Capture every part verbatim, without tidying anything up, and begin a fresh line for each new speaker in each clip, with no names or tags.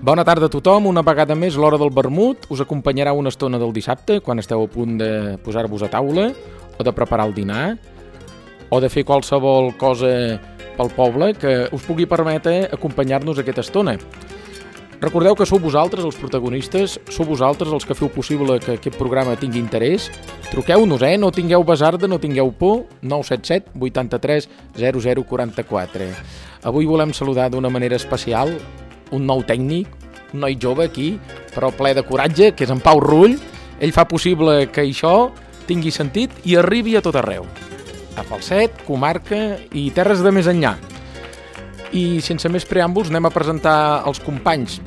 Bona tarda a tothom, una vegada més l'hora del vermut us acompanyarà una estona del dissabte quan esteu a punt de posar-vos a taula o de preparar el dinar o de fer qualsevol cosa pel poble que us pugui permetre acompanyar-nos aquesta estona. Recordeu que sou vosaltres els protagonistes, sou vosaltres els que feu possible que aquest programa tingui interès. Truqueu-nos, eh? No tingueu basarda, no tingueu por, nou set set vuitanta-tres zero zero quaranta-quatre. Avui volem saludar d'una manera especial un nou tècnic, un noi jove aquí, però ple de coratge, que és en Pau Rull. Ell fa possible que això tingui sentit i arribi a tot arreu. A Falset, comarca i terres de més enllà. I sense més preàmbuls anem a presentar els companys.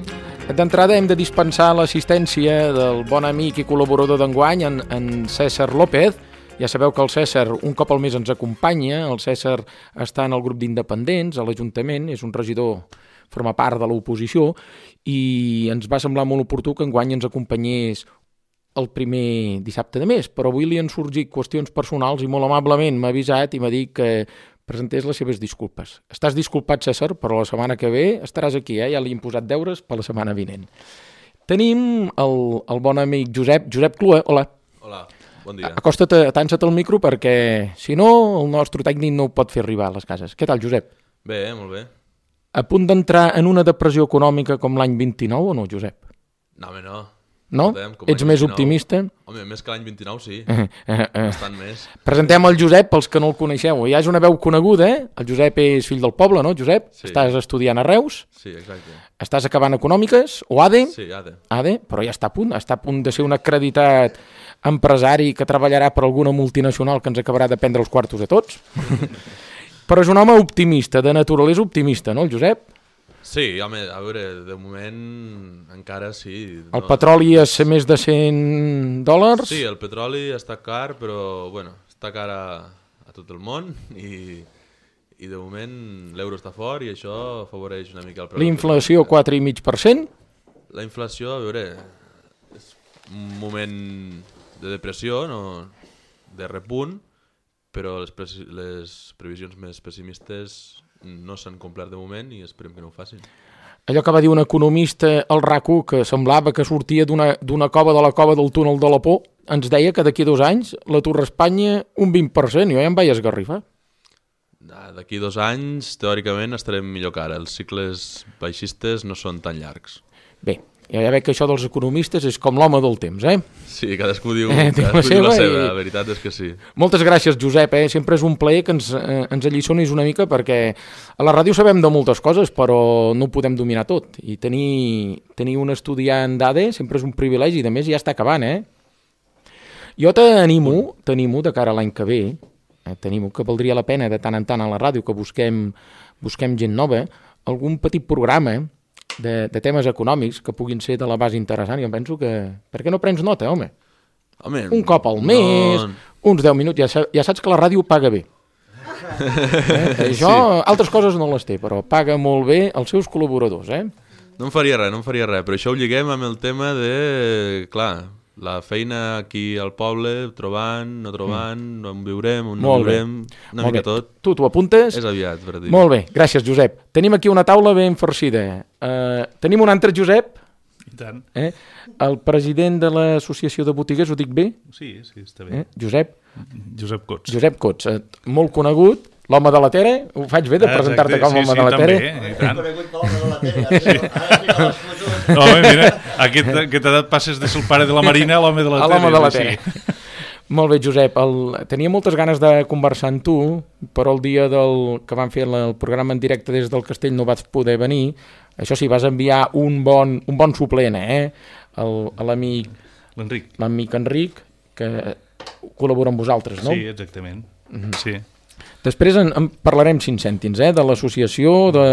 D'entrada hem de dispensar l'assistència del bon amic i col·laborador d'enguany, en, en César López. Ja sabeu que el César un cop al mes ens acompanya. El César està en el grup d'independents, a l'Ajuntament, és un regidor, forma part de l'oposició, i ens va semblar molt oportú que enguany ens acompanyés el primer dissabte de mes, però avui li han sorgit qüestions personals i molt amablement m'ha avisat i m'ha dit que presentés les seves disculpes. Estàs disculpat, César, però la setmana que ve estaràs aquí, eh? Ja li hem posat deures per la setmana vinent. Tenim el, el bon amic Josep, Josep Clua, hola.
Hola, bon dia.
Acosta't, atansa't al micro perquè, si no, el nostre tècnic no ho pot fer arribar a les cases. Què tal, Josep?
Bé, molt bé.
A punt d'entrar en una depressió econòmica com l'any vint-i-nou o no, Josep?
No, home, no.
No? Ets més optimista?
Home, més que l'any vint-i-nou, sí.
Eh, eh, eh.
Bastant més.
Presentem el Josep pels que no el coneixeu. Ja és una veu coneguda, eh? El Josep és fill del poble, no, Josep?
Sí.
Estàs estudiant a Reus?
Sí, exacte.
Estàs acabant econòmiques? O A D E?
Sí, A D E.
A D E, però ja està a punt. Està a punt de ser un acreditat empresari que treballarà per alguna multinacional que ens acabarà de prendre els quartos a tots. Però és un home optimista, de naturalesa optimista, no, el Josep?
Sí, home, a veure, de moment encara sí.
El no... petroli és més de cent dòlars?
Sí, el petroli està car, però, bueno, està car a, a tot el món i, i de moment l'euro està fort i això afavoreix una mica el preu.
L'inflació quatre coma cinc per cent?
La inflació, a veure, és un moment de depressió, no, de repunt, però les, pre les previsions més pessimistes no s'han complert de moment i esperem que no ho facin.
Allò que va dir un economista al RAC u, que semblava que sortia d'una cova de la cova del túnel de la por, ens deia que d'aquí dos anys l'atur a Espanya un vint per cent, jo ja em vaig esgarrifar.
D'aquí dos anys, teòricament, estarem millor que ara. Els cicles baixistes no són tan llargs.
Bé, ja veig que això dels economistes és com l'home del temps, eh?
Sí, cadascú diu,
eh,
cadascú diu la seva,
i...
la veritat és que sí.
Moltes gràcies, Josep, eh? Sempre és un plaer que ens, eh, ens alliçonis una mica perquè a la ràdio sabem de moltes coses, però no ho podem dominar tot. I tenir, tenir un estudiant d'A D E sempre és un privilegi, i a més ja està acabant, eh? Jo t'animo, t'animo de cara a l'any que ve, eh, t'animo que valdria la pena de tant en tant a la ràdio que busquem, busquem gent nova, algun petit programa, eh? De, de temes econòmics que puguin ser de la base interessant. Jo penso que... Per què no prens nota, home?
Home
un cop al mes, no... uns deu minuts, ja, ja saps que la ràdio paga bé. eh? Això, sí. Altres coses no les té, però paga molt bé els seus col·laboradors, eh?
No em faria res, no em faria res, però això ho lliguem amb el tema de, clar, la feina aquí al poble, trobant, no trobant, mm. on viurem, on no viurem, una
molt
mica
bé.
tot.
Tu t'ho apuntes?
És aviat, per dir.
Molt bé, gràcies, Josep. Tenim aquí una taula ben farcida. Uh, tenim un altre Josep,
I tant.
Eh? El president de l'Associació de Botiguers, ho dic bé?
Sí, sí, està bé.
Eh? Josep?
Josep Cots.
Josep Cots, eh, molt conegut, l'home de la Tere, ho faig bé de ah, presentar-te com
sí,
l'home
sí,
de la Tere?
Sí, sí, també, i tant. No, home, mira, a aquesta, aquesta edat passes de ser el pare de la Marina a l'home de la Tere.
A l'home de la Tere. Sí. Molt bé, Josep, el... tenia moltes ganes de conversar amb tu, però el dia del... que vam fer el programa en directe des del Castell no vas poder venir. Això sí, vas enviar un bon, un bon suplent, eh? L'amic...
L'Enric.
L'amic Enric, que col·labora amb vosaltres, no?
Sí, exactament. Mm-hmm. Sí.
Després en, en parlarem cinc cèntims, eh? De l'associació, de,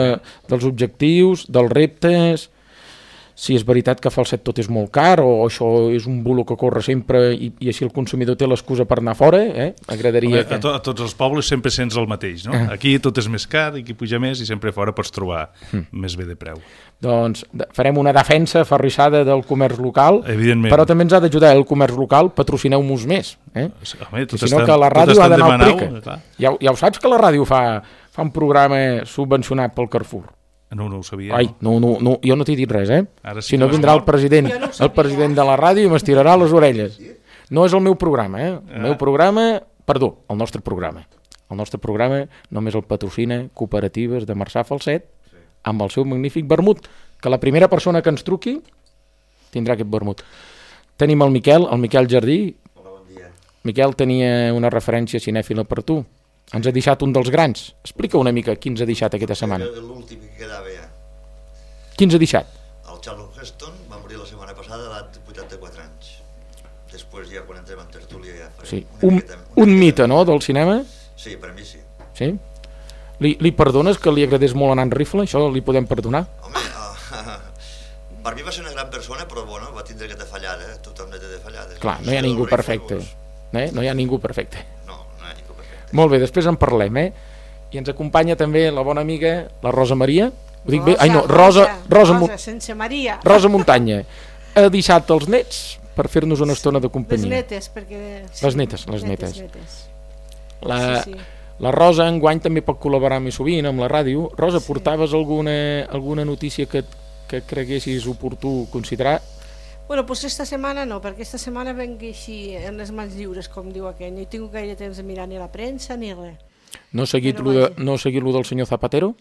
dels objectius, dels reptes... si és veritat que Falset tot és molt car o això és un bulo que corre sempre i, i així el consumidor té l'excusa per anar fora, eh? Agradaria
Home,
que...
a, to, a tots els pobles sempre sents el mateix, no?
Ah.
Aquí tot és més car, aquí puja més i sempre fora pots trobar
Mm.
més bé de preu.
Doncs de- farem una defensa aferrissada del comerç local,
Evidentment.
però també ens ha d'ajudar el comerç local, patrocineu-nos més, eh?
Home, tot
Si no
estan-
que la
tot
ràdio
estan
ha d'anar al
demanau,
prica.
clar.
Ja, ho- ja ho saps que la ràdio fa, fa un programa subvencionat pel Carrefour.
No, no ho sabia.
Ai, no, no, no, jo no t'he dit res, eh?
Ara sí
Si no
que
vindrà
m'has
el president,
Jo no ho
el
sabia.
president de la ràdio i m'estirarà les orelles. No és el meu programa, eh? El meu programa, perdó, el nostre programa. El nostre programa només el patrocina Cooperatives de Marçà Falset amb el seu magnífic vermut, que la primera persona que ens truqui tindrà aquest vermut. Tenim el Miquel, el Miquel Jardí.
Hola, bon dia.
Miquel tenia una referència cinèfila per tu. Ens ha deixat un dels grans. Explica una mica qui ens ha deixat aquesta setmana.
Era l'últim que quedava ja.
Qui ens ha deixat?
El Charlton Heston va morir la setmana passada a l'edat de vuitanta-quatre anys. Després ja quan entrem en tertúlia ja farem
Sí.
una
Un,
miqueta- una
un
miqueta-
mite, no?, del cinema.
Sí, per a mi sí.
Sí? Li, li perdones que li agradés molt anar en rifle? Això li podem perdonar?
Home, uh, per mi va ser una gran persona, però bueno, va tindre aquesta fallada, eh? Tothom ne té de fallades.
Clar, no hi ha
Això
ningú
del rifle,
perfecte.
doncs,
Eh? No hi ha ningú perfecte.
No, no hi ha ningú perfecte.
Molt bé, després en parlem, eh? I ens acompanya també la bona amiga, la Rosa Maria. Ho dic bé? Ai, no, Rosa, Rosa,
Rosa,
Mo-
Rosa sense Maria.
Rosa Muntanya. Ha deixat els nets per fer-nos una estona de
Les
companyia.
netes, perquè...
Les netes, les netes.
netes.
La,
Sí, sí.
la Rosa enguany també pot col·laborar més sovint amb la ràdio. Rosa,
Sí.
portaves alguna, alguna notícia que, que creguessis oportú considerar?
Bueno, doncs esta setmana no, perquè esta setmana venc així en les mans lliures, com diu aquell. No he tingut gaire temps de mirar ni la premsa ni res.
No he seguit
Però
lo de,
vaja.
no he seguit lo del senyor Zapatero?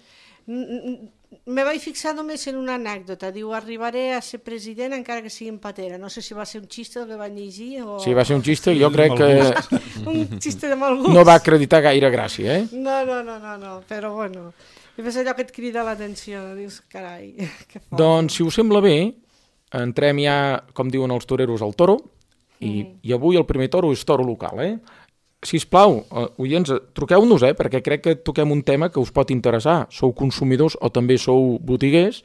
N- n- Me vaig fixar només en una anècdota. Diu, arribaré a ser president encara que sigui en patera. No sé si va ser un xiste el que va llegir o...
Si va ser un xiste, jo
Sí,
crec
mal
que
un xiste de mal gust.
no va acreditar gaire gràcia, eh?
No, no, no, no, no, però bueno. I és allò que et crida l'atenció. Dius, carai, que fort.
Doncs, si us sembla bé, entrem ja, com diuen els toreros, al toro, i,
Mm.
i avui el primer toro és toro local, eh? Sisplau, eh, oients, eh, truqueu-nos, eh? Perquè crec que toquem un tema que us pot interessar. Sou consumidors o també sou botiguers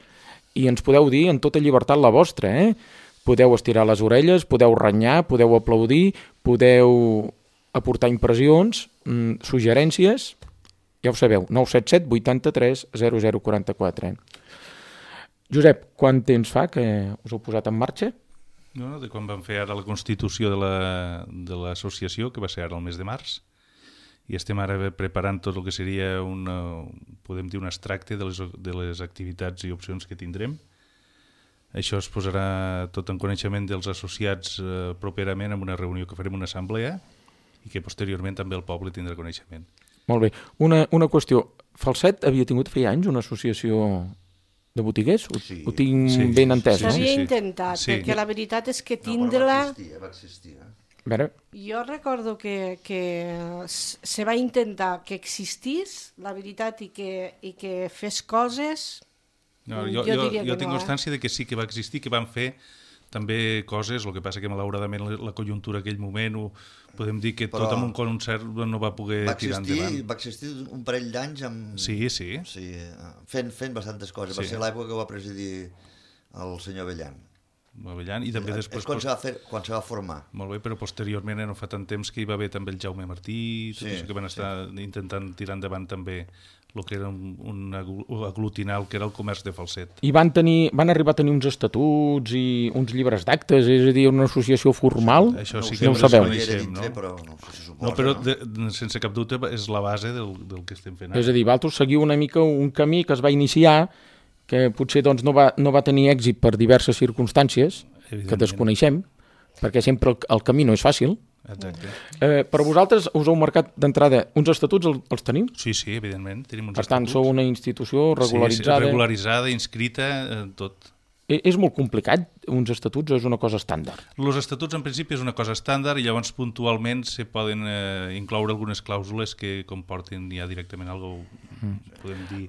i ens podeu dir en tota llibertat la vostra, eh? Podeu estirar les orelles, podeu renyar, podeu aplaudir, podeu aportar impressions, mm, suggerències, ja ho sabeu, nou set set vuitanta-tres zero zero quaranta-quatre. Josep, quant temps fa que us heu posat en marxa?
No, de quan vam fer ara la constitució de la- de l'associació, que va ser ara el mes de març, i estem ara preparant tot el que seria una, podem dir un extracte de les, de les activitats i opcions que tindrem. Això es posarà tot en coneixement dels associats eh, properament en una reunió que farem una assemblea i que posteriorment també el poble tindrà coneixement.
Molt bé. Una, una qüestió. Falset havia tingut feia anys una associació de botiguers? Ho,
Sí.
ho tinc
Sí,
ben
sí,
entès,
sí,
no?
sí.
S'havia intentat,
Sí.
perquè la veritat és que
No, però va
tindre-la...
existir, va existir. Eh?
A veure,
Jo recordo que, que s- se va intentar que existís, la veritat, i que, i que fes coses...
No,
Mm,
jo,
jo
jo,
diria
jo
que
tinc
no, eh?
constància de que sí que va existir, que van fer també coses, el que passa que malauradament la, la conjuntura aquell moment ho, podem dir que
Però
tot amb un concert no va poder
Va
tirar
existir,
endavant.
va existir un parell d'anys amb...
Sí, sí.
Sí, eh, fent, fent bastantes coses. Va
Sí.
ser l'època que va presidir el senyor Bellan.
Avellan, i també
És
després...
quan se va, fer, quan se va formar.
Molt bé, però posteriorment, eh, no fa tant temps que hi va haver també el Jaume Martí, tot
Sí,
això que van estar intentant tirar endavant també el que era un, un aglu- aglutinar el que era el comerç de Falset.
i van, tenir, van arribar a tenir uns estatuts i uns llibres d'actes, és a dir, una associació formal?
Això sí
ho
que
no ho
ho
sabeu.
desconeixem,
Era dintre,
no?
però no sé si suposa,
No, però
no?
de, de, sense cap dubte és la base del, del que estem fent ara.
És a dir, vosaltres seguiu una mica un camí que es va iniciar que potser doncs, no, va, no va tenir èxit per diverses circumstàncies que
Evidentment.
desconeixem, perquè sempre el, el camí no és fàcil.
Exacte.
Eh, però vosaltres us heu marcat d'entrada uns estatuts, el, els teniu?
Sí, sí, evidentment. Tenim uns
Per tant,
estatuts.
sou una institució regularitzada.
Sí, sí, regularitzada, inscrita, eh, tot.
E- És molt complicat, uns estatuts, o és una cosa estàndard?
Els estatuts, en principi, és una cosa estàndard i llavors puntualment se poden eh, incloure algunes clàusules que comportin ja directament algo, podem dir,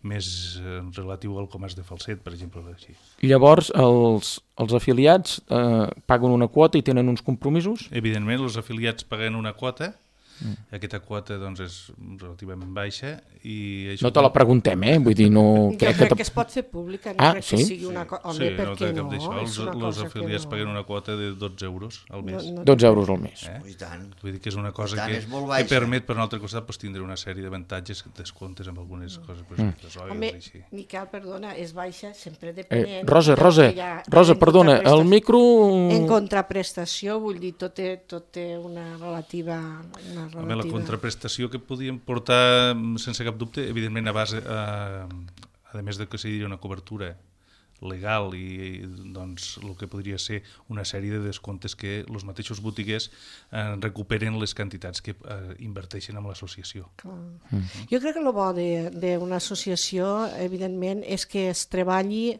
més eh, relatiu al comerç de Falset, per exemple. Així.
Llavors, els, els afiliats eh, paguen una quota i tenen uns compromisos?
Evidentment, els afiliats paguen una quota Mm. Aquesta quota doncs, és relativament baixa. I això
no te la preguntem, eh? Vull dir, no...
Jo
crec
crec
que,
que es pot fer pública, no
ah,
crec
sí?
que sigui una cosa... Home,
sí,
per
no
què
té cap
no?
d'això.
És
Els,
una
els
cosa que
afiliats
no.
paguen una quota de dotze euros al mes.
No, no
dotze euros al mes.
Eh?
I tant.
Vull dir que és una cosa
tant,
que,
és molt
que
baixa.
permet, per un altre costat, pues, tindre una sèrie d'avantatges, descomptes amb algunes coses, per exemple, les
Home,
oils, així.
Miquel, perdona, és baixa sempre
Eh,
depenent...
Rosa,
del
Rosa,
que hi ha
Rosa,
en
perdona,
contraprestació.
el micro...
En contraprestació, vull dir, tot té, tot té una relativa... Una relativa...
Home, la contraprestació que podíem portar, sense cap dubte, evidentment a base, a, a més de que sigui una cobertura legal i doncs el que podria ser una sèrie de descomptes que els mateixos botiguers eh, recuperen les quantitats que eh, inverteixen en l'associació.
Mm. Jo crec que el bo d'una associació, evidentment, és que es treballi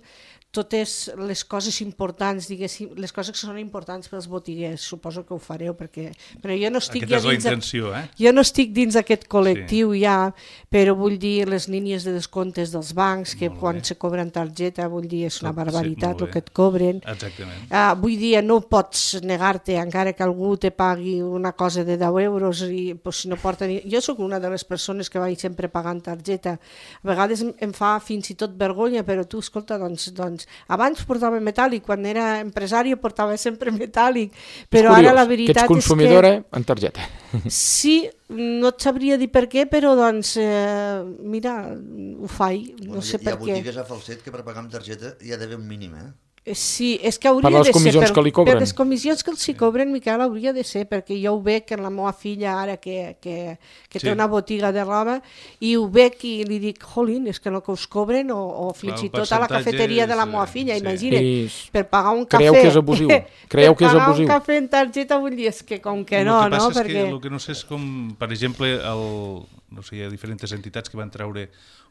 totes les coses importants, diguéssim, les coses que són importants pels botiguers, suposo que ho fareu, perquè però jo no estic
Aquesta
ja
és la
dins
intenció, eh?
jo no estic dins aquest col·lectiu sí. ja, però vull dir les línies de descomptes dels bancs, que
Molt
quan
bé.
se cobren targeta, vull dir, és una
Tot, sí,
barbaritat
molt
el
bé.
que et cobren.
Exactament.
Uh, vull dir, no pots negar-te, encara que algú te pagui una cosa de deu euros i pues, si no porta ni... Jo sóc una de les persones que vaig sempre pagant targeta. A vegades em, em fa fins i tot vergonya, però tu, escolta, doncs, doncs abans portava metàl·lic, quan era empresari portava sempre metàl·lic, però
és curiós,
ara la veritat
que ets consumidora
és que...
en targeta.
Sí, no et sabria dir per què, però doncs, eh, mira, ho faig, no
Bueno,
sé
hi,
per
hi ha
què.
botigues a falset que per pagar amb targeta hi ha d'haver un mínim, eh?
Sí, és que hauria
Per les
de ser...
comissions que li cobren.
Per les comissions que els hi cobren, Miquel, hauria de ser, perquè jo ho veig en la meva filla ara que, que, que
Sí.
té una botiga de roba, i ho veig i li dic, jolín, és que el que us cobren, o, o fins
Clar,
i
el
tot a la
percentatge
cafeteria de la
és,
meva
eh,
filla,
sí.
imagina't,
I
per pagar un cafè...
creieu que és abusiu? Creieu que és
per pagar
abusiu?
un cafè en targeta, vull dir, és que com que no,
el que
no?
passa és
Perquè...
que el que no sé és com, per exemple, el, no sé, hi ha diferents entitats que van treure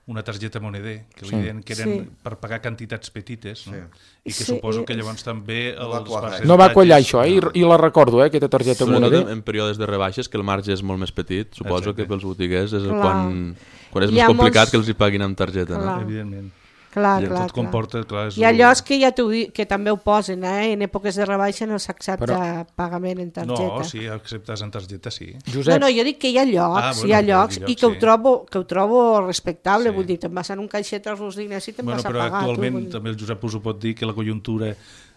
una targeta moneder, que li
Sí.
deien que eren
Sí.
per pagar quantitats petites, no? I que
Sí,
suposo
i-
que llavors també
No va
els
quadrar.
percentatges...
No va quallar això, eh? I, i la recordo, eh, aquesta targeta
Sobretot
moneder.
en, en períodes de rebaixes, que el marge és molt més petit, suposo
Exacte.
que pels botiguers és
Clar.
quan, quan és
Hi
més
ha
complicat
molts-
que els hi paguin amb targeta, no?
Clar.
Evidentment.
Clar,
I
clar,
tot
clar.
comporta, clar, és
I allò és que ja t'ho dic, que també ho posen, eh? En èpoques de rebaixa no s'accepta
Però-
pagament en targeta.
No, sí, acceptes en targeta, sí.
Josep,
No, no, jo dic que hi ha llocs,
Ah, bueno,
hi ha
hi ha
llocs,
llocs,
i que ho
sí.
trobo, que ho trobo respectable,
Sí.
vull dir, te'n vas en un caixet als Rosdines i te'n
Bueno,
vas a
però
pagar.
actualment
tu, vull dir.
també el Josep us ho pot dir que la conjuntura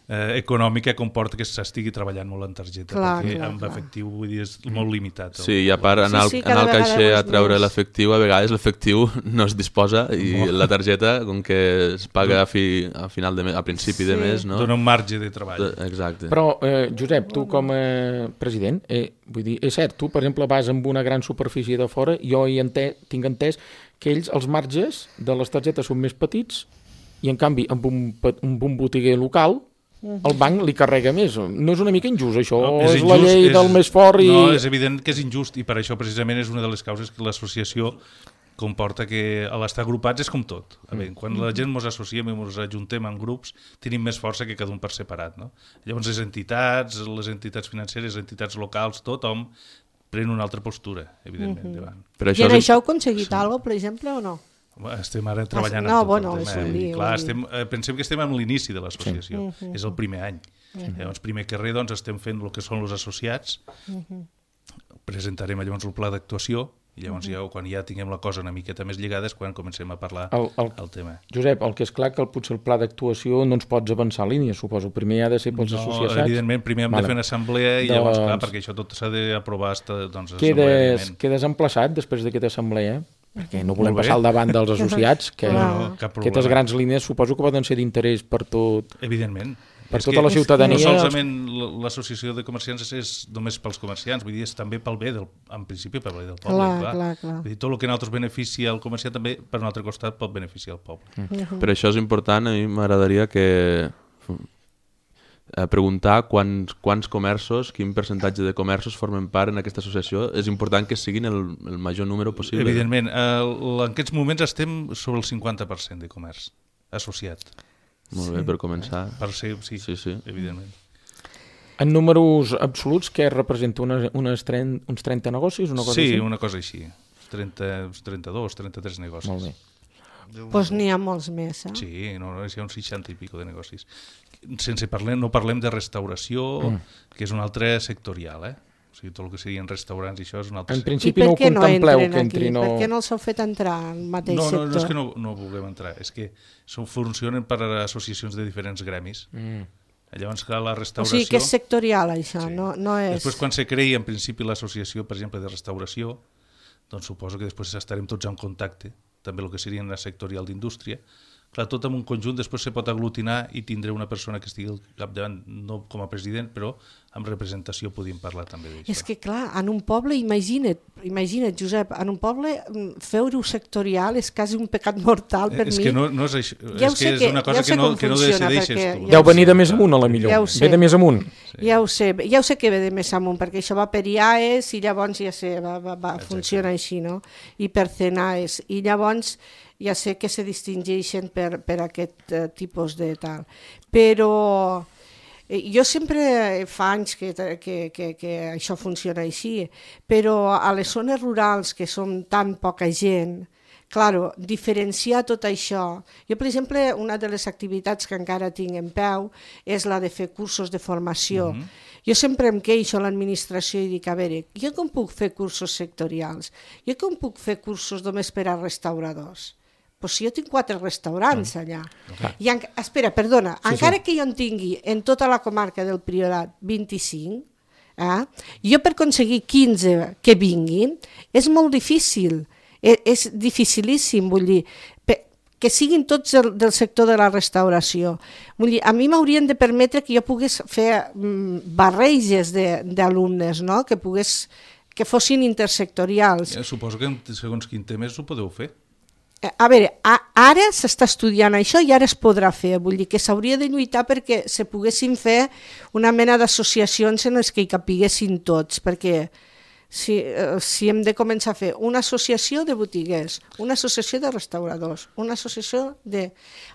eh, econòmica comporta que s'estigui treballant molt en targeta,
Clar,
perquè
clar,
amb
clar.
efectiu vull dir, és molt limitat. el-
Sí, i a part anar, al,
Sí, sí,
anar
cada
al
vegada
caixer a
és
treure
més.
l'efectiu, a vegades l'efectiu no es disposa i la targeta, com que es paga a, fi, a final de mes, a principi de
Sí.
mes, no?
Dona un marge de treball.
Exacte.
però, eh, Josep, tu com a president, eh, vull dir, és cert, tu, per exemple, vas amb una gran superfície de fora, jo hi ente, tinc entès que ells, els marges de les targetes són més petits i, en canvi, amb un, pe- amb un botiguer local, el banc li carrega més. No és una mica injust, això?
No,
O és, la
injust,
llei del més fort i...
No, és evident que és injust i per això precisament és una de les causes que l'associació comporta que a l'estar agrupats és com tot. A veure, quan la gent ens associem i ens ajuntem en grups, tenim més força que cada un per separat. No? Llavors les entitats, les entitats financeres, les entitats locals, tothom pren una altra postura, evidentment, davant.
Per
I
això
en
és,
això heu aconseguit alguna cosa, per exemple, o no?
Estem ara treballant
no,
en tot
bueno,
el
és
tema.
un
I,
lío,
clar,
un
estem, eh, pensem que estem en l'inici de l'associació.
Sí.
És el primer any. Llavors, primer que res, doncs, estem fent el que són els associats. Presentarem llavors el pla d'actuació i llavors ja, quan ja tinguem la cosa una miqueta més lligada és quan comencem a parlar
El- el-
el tema.
Josep, el que és clar que el, potser el pla d'actuació no ens pots avançar línia, suposo. Primer ha de ser pels
No,
associats.
evidentment, primer hem
Vale.
de fer una assemblea i llavors,
Doncs-
clar, perquè això tot s'ha d'aprovar doncs,
Quedes,
assembleàriament.
quedes emplaçat després d'aquesta assemblea, perquè no volem
Molt bé.
passar al davant dels associats, que
No, no, cap problema.
aquestes grans línies suposo que poden ser d'interès per tot,
Evidentment.
per
És
tota
que
la ciutadania.
No solament l- l'associació de comerciants és només pels comerciants, vull dir, és també pel bé, del, en principi pel bé del poble.
Clar, clar, clar.
Vull dir, tot el que a nosaltres beneficia al comerciant també, per un altre costat, pot beneficiar el poble.
Mm.
per això és important, a mi m'agradaria que eh, preguntar quants, quants comerços, quin percentatge de comerços formen part en aquesta associació. És important que siguin el, el major número possible.
Evidentment, eh, en aquests moments estem sobre el cinquanta per cent de comerç associat.
Molt bé, per començar.
Per ser, sí,
Sí, sí.
evidentment.
En números absoluts, què representa? Unes, unes tren, uns trenta negocis? Una cosa
Sí,
així?
una cosa així. trenta, trenta-dos, trenta-tres negocis.
Molt bé.
Doncs pues n'hi ha molts més, eh?
Sí, no, no, hi ha uns seixanta i pico de negocis. Sense parlem, no parlem de restauració, mm. que és un altre sectorial, eh? sigui, tot el que serien restaurants i això és un altre
En
sector.
principi
I per
no ho
què no
contempleu
entren
que
aquí?
entri... No...
Per què no els heu fet entrar al mateix
No, no,
sector?
no és que no, no vulguem entrar, és que són, funcionen per associacions de diferents gremis.
Mm.
Llavors, clar, la
O
restauració...
sigui que és sectorial, això,
Sí.
no, no és...
Després, quan se creï, en principi, l'associació, per exemple, de restauració, doncs suposo que després estarem tots en contacte, també el que seria la sectorial d'indústria. Clar, tot en un conjunt després se pot aglutinar i tindré una persona que estigui al capdavant, no com a president, però amb representació podíem parlar també d'això.
És que, clar, en un poble, imagina't, imagina't, Josep, en un poble fer-ho sectorial és quasi un pecat mortal per
és
mi.
que no, no és això,
Ja ho
és
sé
que és
que-
una
ja
cosa
ho sé
que no,
com
que no
funciona,
decideixes
perquè
tu.
ja
Deu
ho
venir
sé.
de més amunt, a la millor.
Ja ho sé.
Ve de més amunt.
Ja ho sé, ja ho sé que ve de més amunt, perquè això va per I A E S i llavors ja sé, va, va, va, funciona així, no? I per C N A E S. I llavors ja sé que se distingeixen per, per aquest uh, tipus de tal. Però eh, jo sempre fa anys que, que, que, que això funciona així, però a les zones rurals, que som tan poca gent, claro, diferenciar tot això. Jo, per exemple, una de les activitats que encara tinc en peu és la de fer cursos de formació. Mm -hmm. Jo sempre em queixo a l'administració i dic, a veure, jo com puc fer cursos sectorials? Jo com puc fer cursos només per a restauradors? Pues si jo tinc quatre restaurants mm. allà.
Clar.
I en, espera, perdona,
Sí,
encara
sí.
que jo en tingui en tota la comarca del Priorat vint-i-cinc, eh, jo per aconseguir quinze que vinguin és molt difícil. És, és dificilíssim, vull dir, pe, que siguin tots del, del sector de la restauració. Vull dir, a mi m'haurien de permetre que jo pogués fer mm, barreges de- d'alumnes, no? Que pogués, que fossin intersectorials.
Ja, suposo que en segons quin temes ho podeu fer.
Eh, A veure, a, ara s'està estudiant això i ara es podrà fer, vull dir que s'hauria de lluitar perquè se poguessin fer una mena d'associacions en les que hi capiguessin tots, perquè si, eh, si hem de començar a fer una associació de botiguers, una associació de restauradors, una associació de...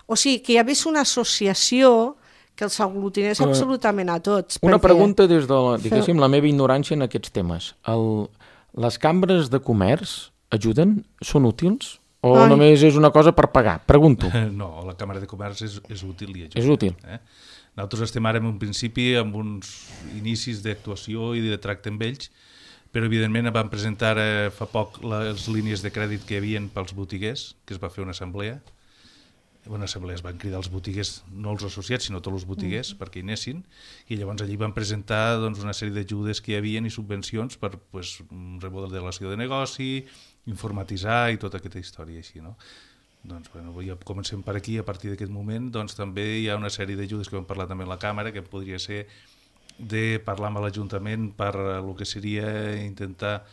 O sigui, que hi hagués una associació que els aglutinés
Eh,
absolutament a tots.
Una
perquè-
pregunta des de la, diguéssim, la meva ignorància en aquests temes. El, les cambres de comerç ajuden? Són útils? O
Ai.
només és una cosa per pagar? Pregunto.
No, la Càmera de Comerç és, és útil i ajuda.
És útil.
Eh? Nosaltres estem ara en un principi amb uns inicis d'actuació i de tracte amb ells, però evidentment vam presentar eh, fa poc les línies de crèdit que hi havia pels botiguers, que es va fer una assemblea. Una assemblea es van cridar els botiguers, no els associats, sinó tots els botiguers, mm. perquè hi anessin, i llavors allí van presentar doncs, una sèrie d'ajudes que hi havia i subvencions per pues, remodelació de negoci, informatitzar i tota aquesta història així, no? Doncs, bueno, ja comencem per aquí, a partir d'aquest moment, doncs també hi ha una sèrie d'ajudes que vam parlar també a la Càmera, que podria ser de parlar amb l'Ajuntament per el que seria intentar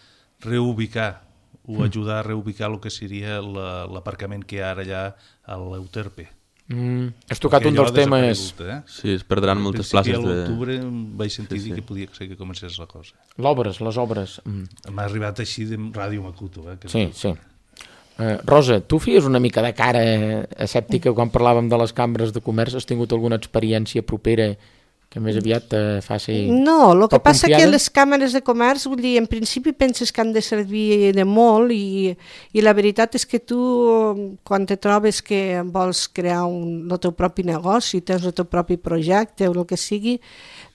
reubicar o ajudar a reubicar el que seria la- l'aparcament que hi ha ara allà a l'Euterpe.
Mm, has tocat
Perquè
un
allò
dels
ha
temes...
desaparegut, Eh?
Sí, es perdran
Al
moltes
principi,
places
a
de...
l'octubre vaig sentir
Sí,
dir
sí.
que podia ser que comencés la cosa.
L'obres, les obres. Mm.
M'ha arribat així de Ràdio Macuto. Eh, que
Sí, sí. Uh, Rosa, tu fies una mica de cara escèptica quan parlàvem de les cambres de comerç. Has tingut alguna experiència propera que més aviat te faci...
No, el que
poc
passa que
confiada?
les càmeres de comerç, vull dir, en principi penses que han de servir de molt i, i la veritat és que tu, quan te trobes que vols crear un, el teu propi negoci, tens el teu propi projecte o el que sigui,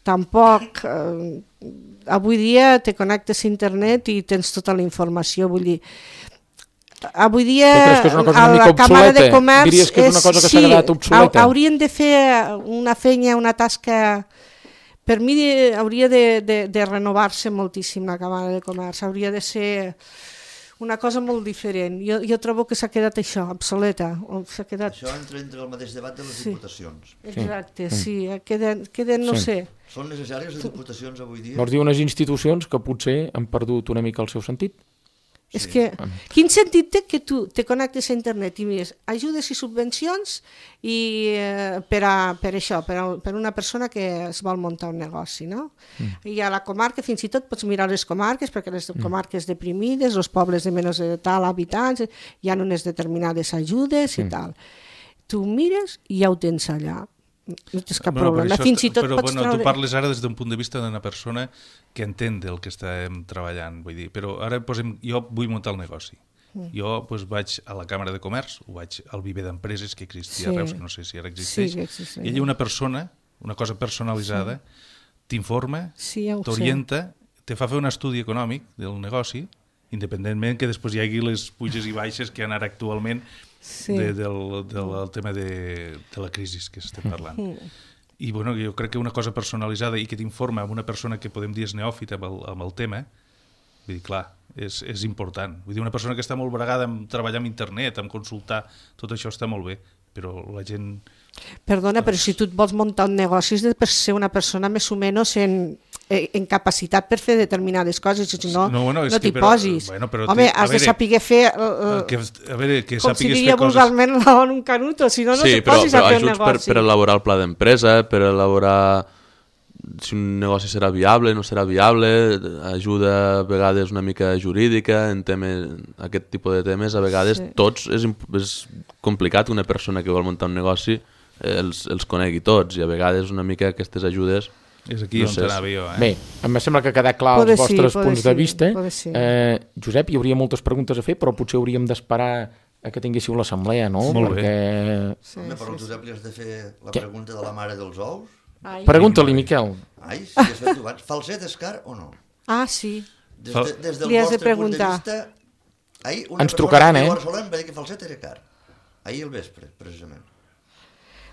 tampoc... Eh, avui dia te connectes a internet i tens tota la informació, vull dir... Avui dia
Tu creus que és una cosa
a
una
la
mica
Càmera de
obsoleta?
Comerç
Diries que és una cosa que s'ha quedat obsoleta?
hau- haurien de fer una feina, una tasca... Per mi de- hauria de, de, de renovar-se moltíssim la Càmera de Comerç, hauria de ser una cosa molt diferent. Jo, jo trobo que s'ha quedat això, obsoleta. o S'ha quedat...
Això entra entre el mateix debat de les
Sí.
diputacions.
Exacte, sí, queden, queden no
Sí.
sé.
Són necessàries les diputacions avui dia?
Vols dir unes institucions que potser han perdut una mica el seu sentit?
És
Sí.
que, quin sentit té que tu te connectes a internet i mires ajudes i subvencions i, eh, per, a, per això, per, a, per una persona que es vol muntar un negoci, no? Mm. I a la comarca fins i tot pots mirar les comarques, perquè les mm. comarques deprimides, els pobles de menys de tal habitants, hi ha unes determinades ajudes i
Mm.
tal. Tu mires i ja ho tens allà. No tens cap
Bueno, però
problema.
això
Fins i
està-
tot
però,
pots
bueno,
treure...
tu parles ara des d'un punt de vista d'una persona que entén del que estem treballant, vull dir, però ara posem, jo vull muntar el negoci.
Mm.
Jo pues, vaig a la Càmera de Comerç, o vaig al Viver d'Empreses que existia
Sí.
a Reus, que no sé si ara existeix,
Sí que existeix.
i allà una persona, una cosa personalitzada, t'informa,
Sí, ja ho sé.
t'orienta, te fa fer un estudi econòmic del negoci, independentment que després hi hagi les puges i baixes que hi ha ara actualment
Sí.
de, del, del, del tema de, de la crisi que estem parlant. I bueno, jo crec que una cosa personalitzada i que t'informa amb una persona que podem dir és neòfita amb el, amb el tema, vull dir, clar, és, és important. Vull dir, una persona que està molt bregada en treballar amb internet, en consultar, tot això està molt bé, però la gent...
Perdona, però si tu et vols muntar un negoci has de ser una persona més o menys en, en capacitat per fer determinades coses, si no,
No, bueno, és
no
que
t'hi
però-
posis.
bueno, però
Home,
t'hi- a
has de
veure,
saber fer, uh,
Que, a veure, que
com si
sàpigues
diria
fer coses...
vulgarment, la on un canuto, si no, no
sí,
se
però,
posis
però
a fer un
ajuts per,
negoci.
per elaborar el pla d'empresa, per elaborar si un negoci serà viable, no serà viable, ajuda a vegades una mica jurídica, en temes, aquest tipus de temes, a vegades
Sí.
tots és, imp- és complicat que una persona que vol muntar un negoci eh, els, els conegui tots, i a vegades una mica aquestes ajudes...
És aquí
No
on
sé,
t'anava jo, eh?
Bé, em sembla que ha quedat clar
Pode
els
sí,
vostres
pode
punts
sí,
de vista.
pode sí.
Eh, Josep, hi hauria moltes preguntes a fer, però potser hauríem d'esperar a que tinguéssiu l'assemblea, no?
Molt bé.
Perquè...
Sí,
Home, però
sí,
el
sí.
Josep li has de fer la
Què?
pregunta de la mare dels ous.
Ai.
Pregunta-li, Miquel.
Ai, si has fet abans. Falset és car o no?
Ah, sí.
Des,
Fal-
de, des del
Li has de
vostre punt de
preguntar.
vista... Ahir una
Ens
persona
trucaran,
que
eh?
viu a Barcelona em va dir que falset era car. Ahir al vespre, precisament.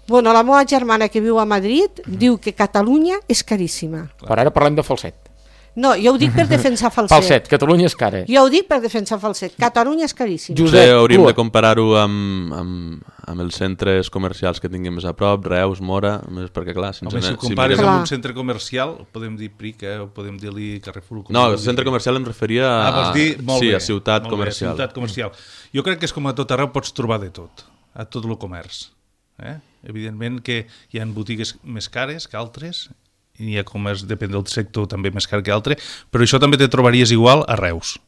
Bueno, la meva germana que viu a Madrid diu que Catalunya és caríssima.
Per ara parlem de falset.
No, jo ho dic per defensar falset.
Falset, Catalunya és cara.
Jo ho dic per defensar falset. Catalunya és caríssima.
Josep,
Potser hauríem
tu-
de comparar-ho amb, amb, amb els centres comercials que tinguem més a prop, Reus, Mora, més perquè clar, si ens
Home, si
anem-
ho compares
mirem-
Clar.
amb un centre comercial, podem dir Prica o podem dir-li Carrefour. com
No,
vulgui.
el centre comercial em referia a,
Ah, vols dir? Molt
sí,
bé,
a ciutat
molt bé,
comercial.
ciutat comercial. Jo crec que és com a tot arreu pots trobar de tot, a tot el comerç. Eh? Evidentment que hi ha botigues més cares que altres, i hi ha comerç, depèn del sector, també més car que altre, però això també te trobaries igual a Reus.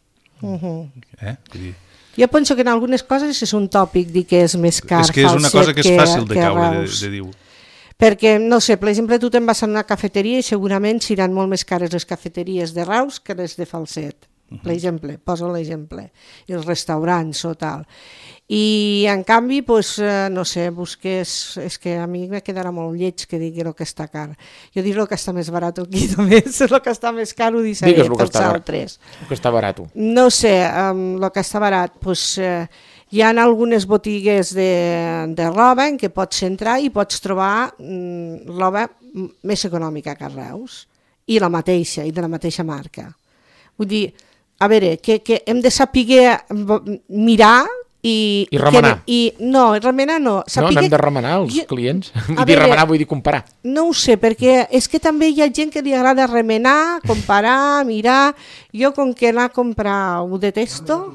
Uh -huh.
Eh? Vull dir,
Jo penso que en algunes coses és un tòpic dir que és més car
és que és una
falset
cosa que és fàcil de
que
caure, de,
Reus.
de dir.
Perquè, no sé, per exemple, tu te'n vas a una cafeteria i segurament seran molt més cares les cafeteries de Reus que les de Falset. Per exemple, poso l'exemple. I els restaurants o tal. I, en canvi, pues, eh, no sé, busques... És que a mi me quedarà molt lleig que digui el que està car. Jo diré el que està més barat aquí, només. El que està més car ho deixaré
Digues el que
pels
està barat.
altres.
Que està barat.
No sé, um, el que està barat, pues, eh, hi ha algunes botigues de, de roba en què pots entrar i pots trobar mm, roba m- més econòmica que a Reus, i la mateixa, i de la mateixa marca. Vull dir, a veure, que, que hem de saber mirar i...
I remenar.
Que, i, no, remenar no.
No,
Saber
n'hem de remenar els
Jo-
clients. Vull
A
dir,
veure-
remenar vull dir comparar.
No ho sé, perquè és que també hi ha gent que li agrada remenar, comparar, mirar. Jo, com que anar a comprar ho detesto...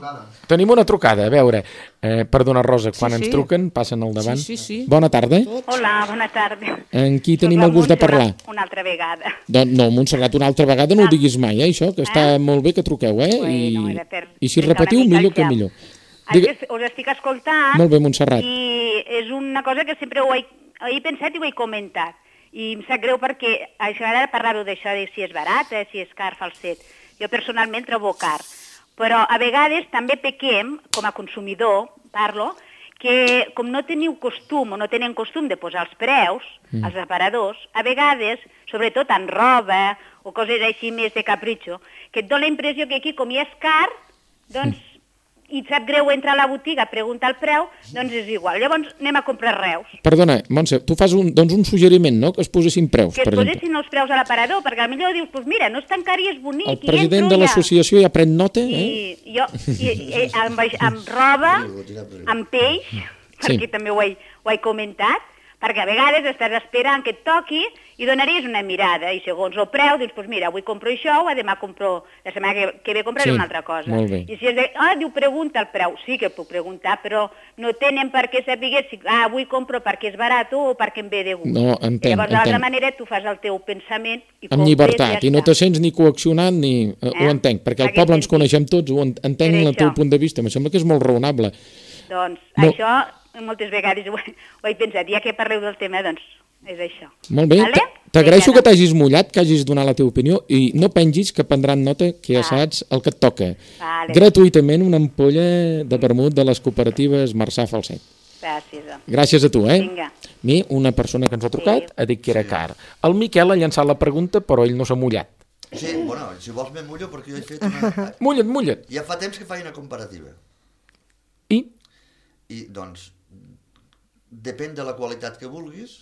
Tenim una trucada, a veure. Eh, perdona, Rosa, quan
Sí,
ens
sí.
truquen, passen al davant.
Sí, sí, sí.
Bona tarda.
Hola, bona tarda.
En qui
Soc
tenim
la
el gust de
Montserrat,
parlar?
Una altra vegada.
Doncs no, Montserrat, una altra vegada no ho diguis mai, eh, això, que està molt bé que truqueu, eh?
Bueno,
I,
era per
I si
trencar
repetiu,
una mica
millor
el
que
gel.
millor.
Digue... Us estic escoltant
Molt bé, Montserrat.
i és una cosa que sempre ho he, he pensat i ho he comentat. I em sap greu perquè això ara parlar-ho d'això de si és barat, eh, si és car, falset. Jo personalment trobo car. Però a vegades també pequem, com a consumidor, parlo, que com no teniu costum o no tenen costum de posar els preus, mm. als aparadors, a vegades, sobretot en roba o coses així més de capritxo, que et dona la impressió que aquí com ja és car, doncs, mm. i et sap greu entrar a la botiga a preguntar el preu, doncs és igual. Llavors anem a comprar Reus.
Perdona, Montse, tu fas un, doncs un suggeriment, no?, que es posessin preus,
Que es
per exemple.
posessin els preus a l'aparador, perquè potser dius, doncs mira, no és tan car i és bonic.
El
i
president
entro
de
ja.
l'associació ja pren nota, eh?
I jo, i, i, amb, amb roba, amb peix,
Sí.
perquè també ho he, ho he comentat, perquè a vegades estàs esperant que et toqui i donaries una mirada, i segons el preu, dius, doncs mira, avui compro això, o demà compro, la setmana que, que ve compraré
Sí,
una altra cosa.
molt bé.
I si és de, ah, diu, pregunta el preu, sí que puc preguntar, però no tenen per què saber si, ah, avui compro perquè és barat o perquè em ve de gust.
No, entenc,
I llavors, d'altra
entenc.
manera, tu fas el teu pensament i
Amb
compres
llibertat,
i,
i no
ja
te
està.
sents ni coaccionat ni... Eh,
Eh?
Ho entenc, perquè al
Aquest
poble ens
sentit.
coneixem tots, ho en- entenc
Per
el teu
això.
punt de vista, em sembla que és molt raonable.
Doncs
No.
no. això, moltes vegades ho, he- ho he pensat, ja que parleu del tema, doncs és això.
Molt bé,
Vale?
t- t'agraeixo
Vinga,
que t'hagis mullat, que hagis donat la teva opinió, i no pengis que prendran nota que ja
Ah.
saps el que et toca.
Vale.
Gratuïtament una ampolla de vermut de les cooperatives Marçà Falset.
Gràcies. doncs.
Gràcies a tu, eh?
Vinga.
Mi, una persona que ens ha trucat,
Sí.
ha dit que era car. El Miquel ha llançat la pregunta, però ell no s'ha mullat.
Sí, bueno, si vols me mullo perquè jo he fet una...
Mulla't, mulla't.
Ja fa temps que faig una comparativa.
I?
I, doncs, depèn de la qualitat que vulguis,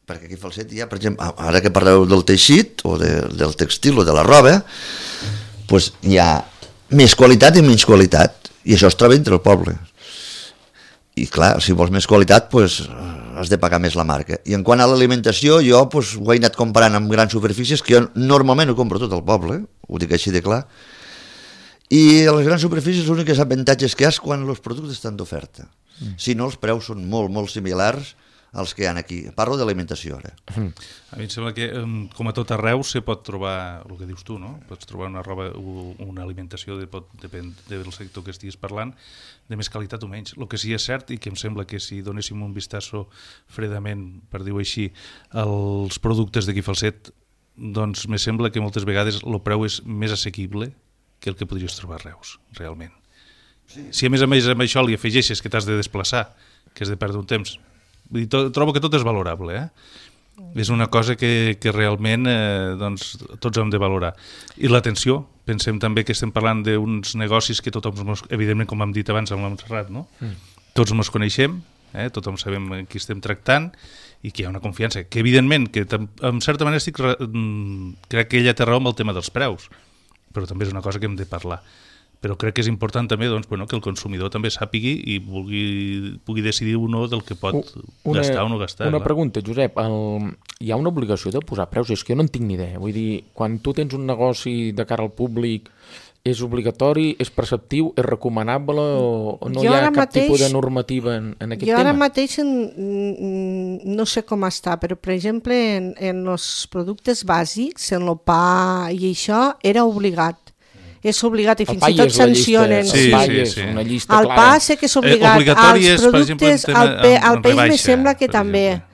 perquè aquí Falset hi ha, per exemple, ara que parleu del teixit, o de, del textil, o de la roba, doncs hi ha més qualitat i menys qualitat, i això es troba entre el poble. I clar, si vols més qualitat, doncs has de pagar més la marca. I en quant a l'alimentació, jo doncs, ho he anat comparant amb grans superfícies, que jo normalment ho compro tot al poble, ho dic així de clar, i a les grans superfícies l'únic avantatge que hi ha és quan els productes estan d'oferta. Mm. Si no, els preus són molt, molt similars als que hi ha aquí. Parlo d'alimentació ara.
Mm. A mi em sembla que, com a tot arreu, se pot trobar el que dius tu, no? Pots trobar una roba o una alimentació, de, pot, depèn del sector que estiguis parlant, de més qualitat o menys. El que sí és cert, i que em sembla que si donéssim un vistazo fredament, per dir-ho així, als productes d'aquí Falset, doncs me sembla que moltes vegades el preu és més assequible que el que podries trobar a Reus, realment. Sí. Si a més a més amb això li afegeixes que t'has de desplaçar, que has de perdre un temps, vull dir, to, trobo que tot és valorable, eh? És una cosa que, que realment eh, doncs, tots hem de valorar. I l'atenció, pensem també que estem parlant d'uns negocis que tothom, evidentment, com hem dit abans amb la Montserrat, no? Mm. Tots ens coneixem, eh? Tothom sabem qui estem tractant i que hi ha una confiança, que evidentment, que en certa manera estic, crec que ella té raó amb el tema dels preus, però també és una cosa que hem de parlar. Però crec que és important també doncs, bueno, que el consumidor també sàpigui i vulgui, pugui decidir uno del que pot una, gastar o no gastar.
Una
clar.
pregunta, Josep, el, hi ha una obligació de posar preus? És que jo no en tinc ni idea. Vull dir, quan tu tens un negoci de cara al públic, és obligatori, és preceptiu, és recomanable o, o no
jo
hi ha cap
mateix,
tipus de normativa en, en aquest
jo
tema?
Jo ara mateix en, no sé com està, però per exemple en, en els productes bàsics, en el pa i això, era obligat. És obligat i fins i tot sancionen.
Sí,
sí,
sí,
sí.
Una llista
el
clara.
pa sé que és obligat.
Eh, obligatori
als
és, per exemple,
productes,
tema,
al, pe, al
en
peix
rebaixa,
me sembla que també.
exemple.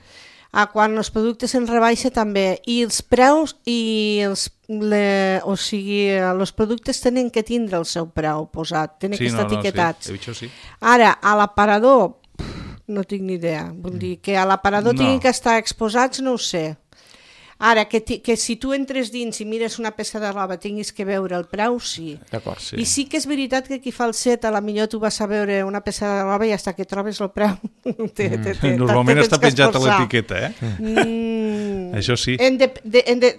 A quan els productes en rebaixa també. I els preus i els, le, o sigui, els productes tenen que tindre el seu preu posat, tenen
sí,
que estar
no, no,
etiquetats.
Sí, això sí.
Ara, a l'aparador, no tinc ni idea. Vull dir que a l'aparador
No.
tinguin que estar exposats, no ho sé. Ara, que, ti, que si tu entres dins i mires una peça de roba tinguis que veure el preu, sí.
D'acord,
sí.
I sí que és veritat que aquí Falset, a la millor tu vas a veure una peça de roba i hasta que trobes el preu te, te, te,
Normalment
te
està penjat a l'etiqueta, eh?
Mm,
Això sí.
En de, de, en de,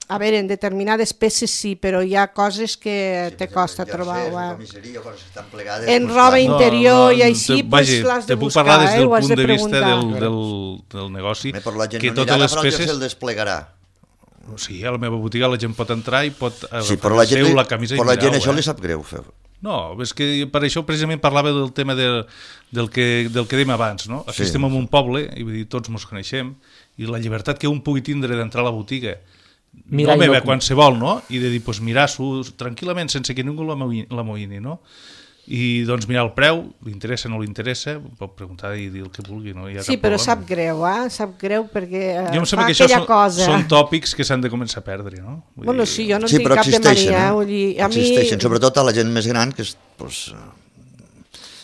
a veure, en determinades peces sí, però hi ha coses que
Sí,
te
per
costa
exemple,
trobar.
jerseis,
Wow.
comisseria, coses que estan plegades,
En
doncs,
roba
clar,
interior
No, no,
i així,
te-
pues
vagi,
l'has de
te puc
buscar,
parlar des
eh?
del
Ho has
punt
de
de vista
preguntar.
del, del, del negoci,
Eh, però la gent
que
no anirà
totes
a
les
agafar el
peces...
jersei i el desplegarà.
Sí, a la meva botiga la gent pot entrar i pot agafar
Sí, però la
el
gent,
seu,
li,
la camisa i
però la gent
mirar-ho,
això
eh?
li sap greu fer.
No, és que per això precisament parlava del tema de, del, que, del que dèiem abans, no? Aquí
Sí.
estem en un poble, i vull dir, tots ens coneixem, i la llibertat que un pugui tindre d'entrar a la botiga,
Mirar
no
i
meva,
no-
qualsevol, no? I de dir, doncs mirar-s'ho tranquil·lament, sense que ningú l'amoïni, no? I doncs mirar el preu, li interessa o no li interessa, pot preguntar i dir el que vulgui, no hi ha
Sí,
cap
però
problema.
sap greu, eh? Sap greu perquè eh,
Jo em
fa
sembla que això
aquella
són,
cosa.
són tòpics que s'han de començar a perdre, no? Vull
Bueno,
dir,
sí, jo no
Sí,
tinc
però
cap de
existeixen,
mania.
eh?
Vull dir, a
Existeixen,
mi...
sobretot a la gent més gran, que és, doncs,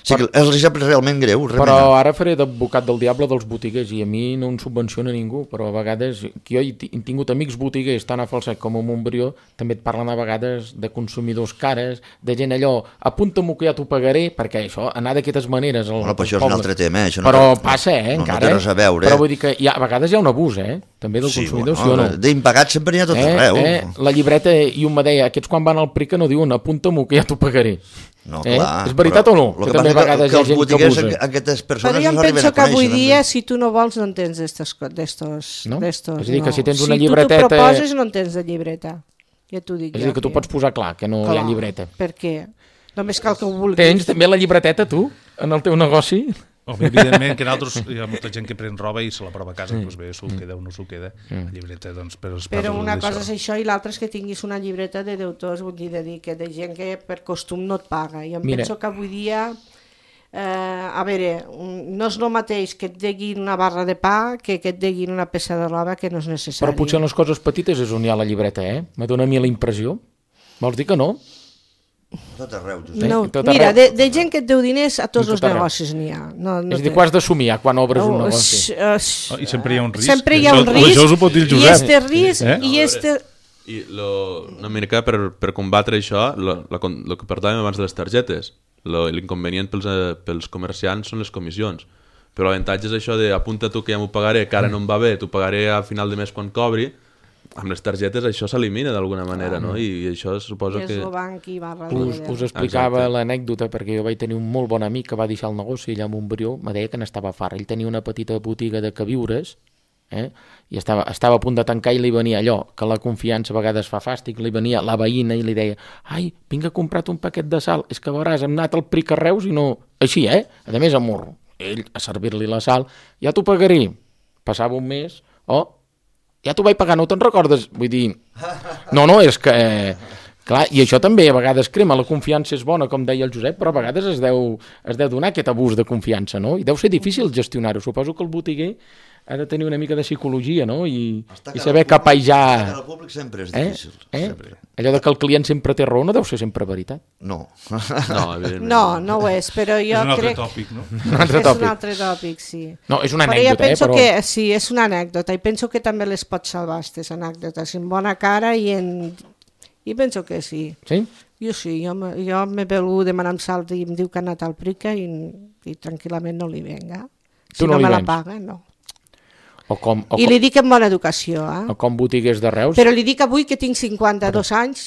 sí que els sap realment greu,
Però
remenar.
ara faré d'advocat del diable dels botiguers i a mi no em subvenciona ningú, però a vegades, que jo he ti- he tingut amics botiguers tant a Falset com a Montbrió, també et parlen a vegades de consumidors cares, de gent allò, apunta-m'ho que ja t'ho pagaré, perquè això, anar d'aquestes maneres... Al,
Bueno, però això és
al
un
poble.
altre tema, eh? Això no
Però
té-
passa, eh,
no- no
encara.
té res a veure,
Però
eh?
vull dir que hi ha, a vegades hi ha un abús, eh? També del
Sí,
consumidor,
bueno,
sí o no?
d'impagat sempre n'hi ha tot arreu.
Eh, eh, la llibreta, i un me deia, aquests quan van al P R I C A no diuen apunta-m'ho que ja t'ho pagaré.
No,
Eh?
clar,
És veritat
però
o no?
el
Que
que
també
passa
a vegades
que
hi ha
els
gent que
botiguers,
abusa.
aquestes
Però
persones
jo em
no arriben
penso
a
que avui
conèixer,
dia,
doncs.
si tu no vols, no en tens d'estos... d'estos
No?
d'estos,
És a dir, que
no.
si tens una
Si
llibreteta-
tu t'ho proposes, no en tens de llibreta. Ja t'ho dic
És a
jo.
dir, que tu pots posar clar que no hi ha llibreta.
Per què? Només cal que ho vulguis.
Tens també la llibreteta, tu, en el teu negoci?
Home, evidentment que nosaltres hi ha molta gent que pren roba i se la prova a casa, doncs bé, s'ho queda o no s'ho queda, la llibreta, doncs, per als
Però
passos
una
d'això.
cosa és això i l'altra és que tinguis una llibreta de deutors, vull dir, de dir que de gent que per costum no et paga. Jo em
Mira.
penso que avui dia, eh, a veure, un- no és el mateix que et deguin una barra de pa que que et deguin una peça de roba que no és necessari.
Però potser en les coses petites és on hi ha la llibreta, eh? Me dóna a mi la impressió. Vols dir que no?
Tot arreu, Josep.
No,
tot
mira,
arreu.
de, de gent que et deu diners a tots
Tot
els
arreu.
negocis n'hi ha. No, no
és a dir,
té-
que ho has d'assumir ja quan obres un
No,
negoci.
és- és-
Oh, I sempre hi ha un risc.
Sempre hi ha
Això-
un risc.
Això us ho pot dir el
I
Josep.
este risc,
Eh?
i este...
I lo, una mica per, per combatre això, el que parlàvem abans de les targetes, l'inconvenient pels, pels comerciants són les comissions. Però l'avantatge és això de apunta tu que ja m'ho pagaré, que ara no em va bé, t'ho pagaré a final de mes quan cobri. Amb les targetes això s'elimina d'alguna manera, no? I, I això suposo que...
És el banc i va
us, us explicava l'anècdota perquè jo vaig tenir un molt bon amic que va deixar el negoci allà a Montbrió, me deia que n'estava fart. Ell tenia una petita botiga de queviures, eh? I estava, estava a punt de tancar i li venia allò, que la confiança a vegades fa fàstic, li venia la veïna i li deia ai, vinc a comprar-te un paquet de sal, és que veuràs, hem anat al Pric a Reus i no... Així, eh? A més, amor, ell a servir-li la sal, ja t'ho pagaré. Passava un mes, oh, ja t'ho vaig pagar, no te'n recordes? Vull dir, no, no, és que... Eh, clar, i això també a vegades crema, la confiança és bona, com deia el Josep, però a vegades es deu, es deu donar aquest abús de confiança, no? I deu ser difícil gestionar-ho. Suposo que el botiguer ha de tenir una mica de psicologia, no? I, i saber capejar...
Estar al públic sempre és difícil.
Eh? Eh?
Sempre.
Allò de que el client sempre té raó no deu ser sempre veritat.
No.
No, evidentment.
No, no ho és, però jo
És un altre
crec...
tòpic, no?
Un altre
és
tòpic.
un altre tòpic, sí.
No, és una
Però jo
anècdota,
penso
eh? Però...
que sí, és una anècdota i penso que també les pots salvar, aquestes anècdotes, en bona cara i en... I penso que sí.
Sí?
Jo sí, jo, me- jo m'he velut demanar salt i em diu que ha anat al Prica i, i tranquil·lament no li venga. Si
Tu no
no,
li
me la
vens?
paga, no.
O com, o,
I
com,
li dic en bona educació, eh?
o com botiguers de Reus.
Però li dic avui que tinc cinquanta-dos anys.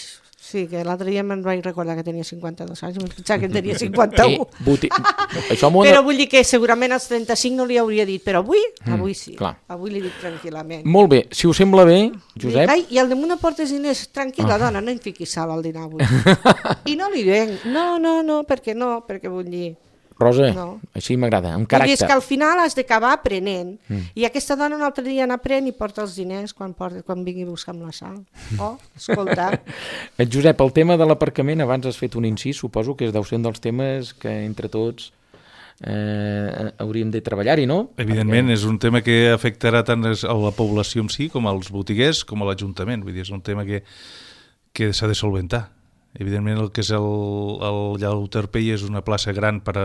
Sí, que l'altre dia me'n vaig recordar que tenia cinquanta-dos anys, em pensava que en tenia cinquanta-u.
Eh, boti... Això m'ho...
Però vull dir que segurament als trenta-cinc no li hauria dit, però avui, avui sí.
clar.
Avui li dic tranquil·lament.
Molt bé, si us sembla bé, Josep...
Dic, ai, i al damunt aportes diners, tranquil·la, dona, no em fiquis sal al dinar avui. I no li venc, no, no, no, perquè no, perquè vull dir...
Rosa,
No.
així m'agrada, amb
Vull dir, és
caràcter.
que al final has d'acabar aprenent. I aquesta dona un altre dia n'aprèn i porta els diners quan, porta, quan vingui a buscar amb la sal. Oh, escolta,
Eh, Josep, el tema de l'aparcament, abans has fet un incís, suposo que és deu ser un dels temes que entre tots eh, hauríem de treballar-hi, no?
Evidentment, és un tema que afectarà tant a la població en si com als botiguers com a l'Ajuntament. Vull dir, és un tema que, que s'ha de solventar. Evidentment, el que és el, el Llau Terpell és una plaça gran per a,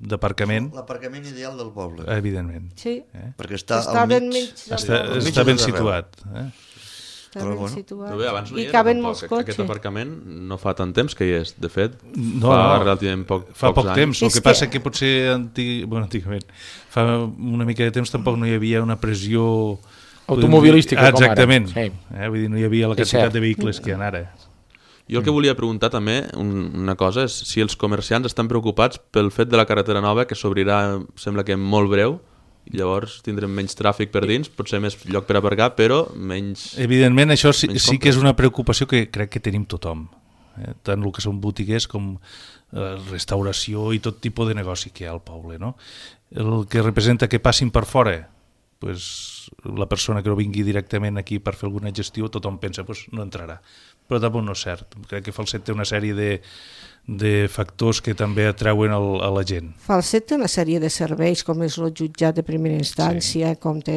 d'aparcament,
L'aparcament ideal del poble.
evidentment.
sí,
Perquè està,
està
al
ben
mig.
mig. del
Està,
poble.
mig
està
de
ben
tot arreu.
situat. Eh?
Està
Però
ben
bueno.
situat.
Però bé, abans no hi
I
era
caben
tampoc.
molts
Aquest
cotxes.
aparcament no fa tant temps que hi és. De fet,
No,
fa
no.
relativament poc,
Fa
pocs
poc
anys.
temps, el
És
que
que-
passa que potser antig... bueno, antigament, fa una mica de temps tampoc no hi havia una pressió
Automobilística,
ah,
com ara.
exactament.
Sí.
Eh? Vull dir, no hi havia la
És
quantitat
cert.
de vehicles que hi ha ara.
Jo el que volia preguntar també, un, una cosa, és si els comerciants estan preocupats pel fet de la carretera nova que s'obrirà, sembla que molt breu, i llavors tindrem menys tràfic per dins, potser més lloc per aparcar, però menys...
Evidentment, això sí,
menys
sí que
compres.
és una preocupació que crec que tenim tothom. Eh? Tant el que són botiguers com eh, restauració i tot tipus de negoci que hi ha al poble. No? El que representa que passin per fora, pues, la persona que no vingui directament aquí per fer alguna gestió, tothom pensa pues, no entrarà. Però tampoc no és cert. Crec que Falset té una sèrie de, de factors que també atrauen el, a la gent.
Falset té una sèrie de serveis, com és el jutjat de primera instància, sí. Com té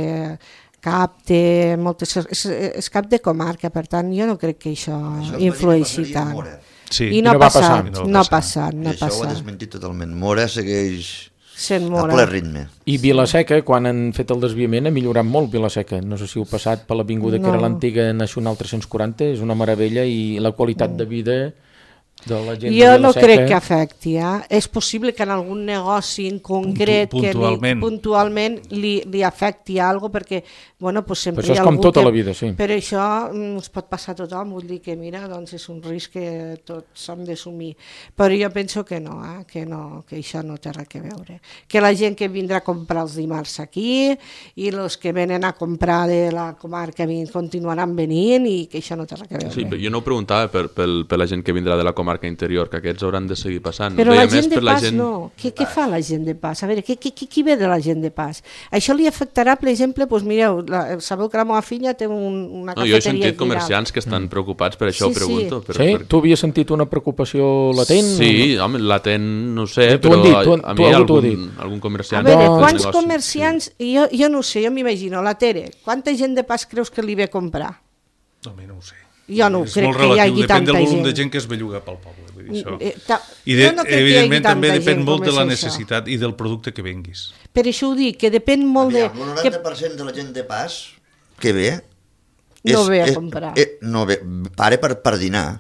cap, té moltes... És, és cap de comarca, per tant, jo no crec que això,
Això es
influeixi
passaria a
tant.
Mora.
Sí.
I no,
no
ha
va passar.
passat,
I no va
no ha
passar.
passat,
I
no ha
això ho ha
passat.
desmentit totalment. Mora segueix
Sent
a
Mora.
ple ritme.
I Vilaseca, quan han fet el desviament, ha millorat molt Vilaseca. No sé si heu passat per l'avinguda no. que era
No.
l'antiga Nacional tres-cents quaranta, és una meravella i la qualitat de vida de la gent
Jo
de
no
Vilaseca...
crec que afecti, eh? És possible que en algun negoci en concret
Puntu-
que li,
puntualment.
puntualment li, li afecti alguna cosa, perquè bueno, pues sempre
Però això
hi ha
és com
algú
tota
que...
la vida, sí.
Però això mm, es pot passar a tothom, vull dir que mira, doncs és un risc que tots hem d'assumir. Però jo penso que no, eh? que no, que això no té res a veure. Que la gent que vindrà a comprar els dimarts aquí i els que venen a comprar de la comarca vin- continuaran venint i que això no té res a veure.
Sí, però jo no ho preguntava per, per, per la gent que vindrà de la comarca interior, que aquests hauran de seguir passant.
Però
Deia
la gent
més
de
per la
pas
gent...
no. Què, què fa la gent de pas? A veure, què, què, qui ve de la gent de pas? Això li afectarà, per exemple, doncs mireu, la, sabeu que la meva filla té un, una
No, jo he
cafeteria
sentit
final.
comerciants que estan preocupats, per això
Sí,
ho pregunto.
sí.
Per,
Sí?
per...
Tu havies sentit una preocupació latent?
Sí, home, latent no ho sé,
T'ho
però
han dit, t'ho han-
a
tu
mi
algú t'ho ha
algun,
dit.
algun
A
comerciant...
veure,
que ha fet
quants
negoci,
comerciants, jo, jo no ho sé, jo m'imagino, la Tere, quanta gent de pas creus que li ve a comprar?
Home, no ho sé.
Jo no
és
crec
molt
que hi
relatiu,
hagi
depèn
tanta
del volum
gent.
de gent que es belluga pel poble. Vull dir, això.
Eh, ta-
I de,
jo no crec que hi hagi
evidentment
tanta
també depèn
gent
molt
com
de la
és això.
necessitat i del producte que venguis.
Per això ho dic, que depèn molt
Aviam,
de...
el
Que...
noranta per cent de la gent de pas que ve
no
és,
ve a
és,
comprar.
Eh, no ve, pare per, per dinar,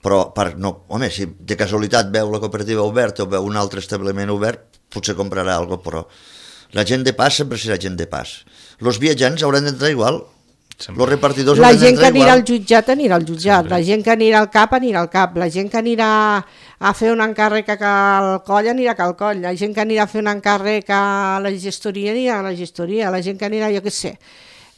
però per, no, home, si de casualitat veu la cooperativa oberta o veu un altre establiment obert, potser comprarà alguna cosa, però la gent de pas sempre serà gent de pas. Els viatjants hauran d'entrar igual, els repartidors
La
hauran
gent que
d'entrar
anirà
igual.
al jutjat anirà al jutjat, la gent que anirà al cap anirà al cap, la gent que anirà a fer un encàrrec a Cal Coll anirà a Cal Coll, la gent que anirà a fer un encàrrec a la gestoria anirà a la gestoria, la gent que anirà, jo què sé,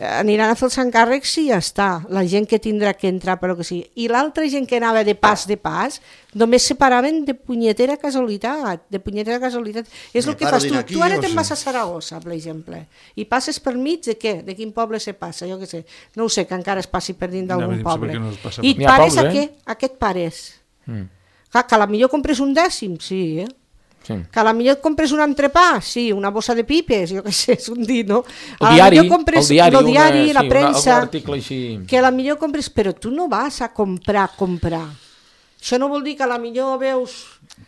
aniran a fer els encàrrecs i ja està, la gent que tindrà que entrar però que sigui. I l'altra gent que anava de pas de pas només separaven de punyetera casualitat, de punyetera casualitat. És
Me
el que
paro
fas tu,
dinar aquí,
tu ara
o
te'n
sí?
vas a Saragossa, per exemple, i passes per mig de què? De quin poble se passa? Jo què sé, no ho sé, que encara es passi per dins
Ja
d'algun
venim
poble.
saber que no es passa
I
per-
N'hi ha
pares
pobles,
a què?
eh?
A què et pares?
Mm.
Clar, que a la millor compres un dècim, sí, eh?
Sí.
Que a la millor et compres un entrepà, sí, una bossa de pipes, jo què sé, és un dit, no?
El
A la
diari,
millor compres
el diari,
el diari
una,
la
sí,
premsa,
una, algun article així...
que a la millor compres, però tu no vas a comprar, comprar. Això no vol dir que a la millor veus,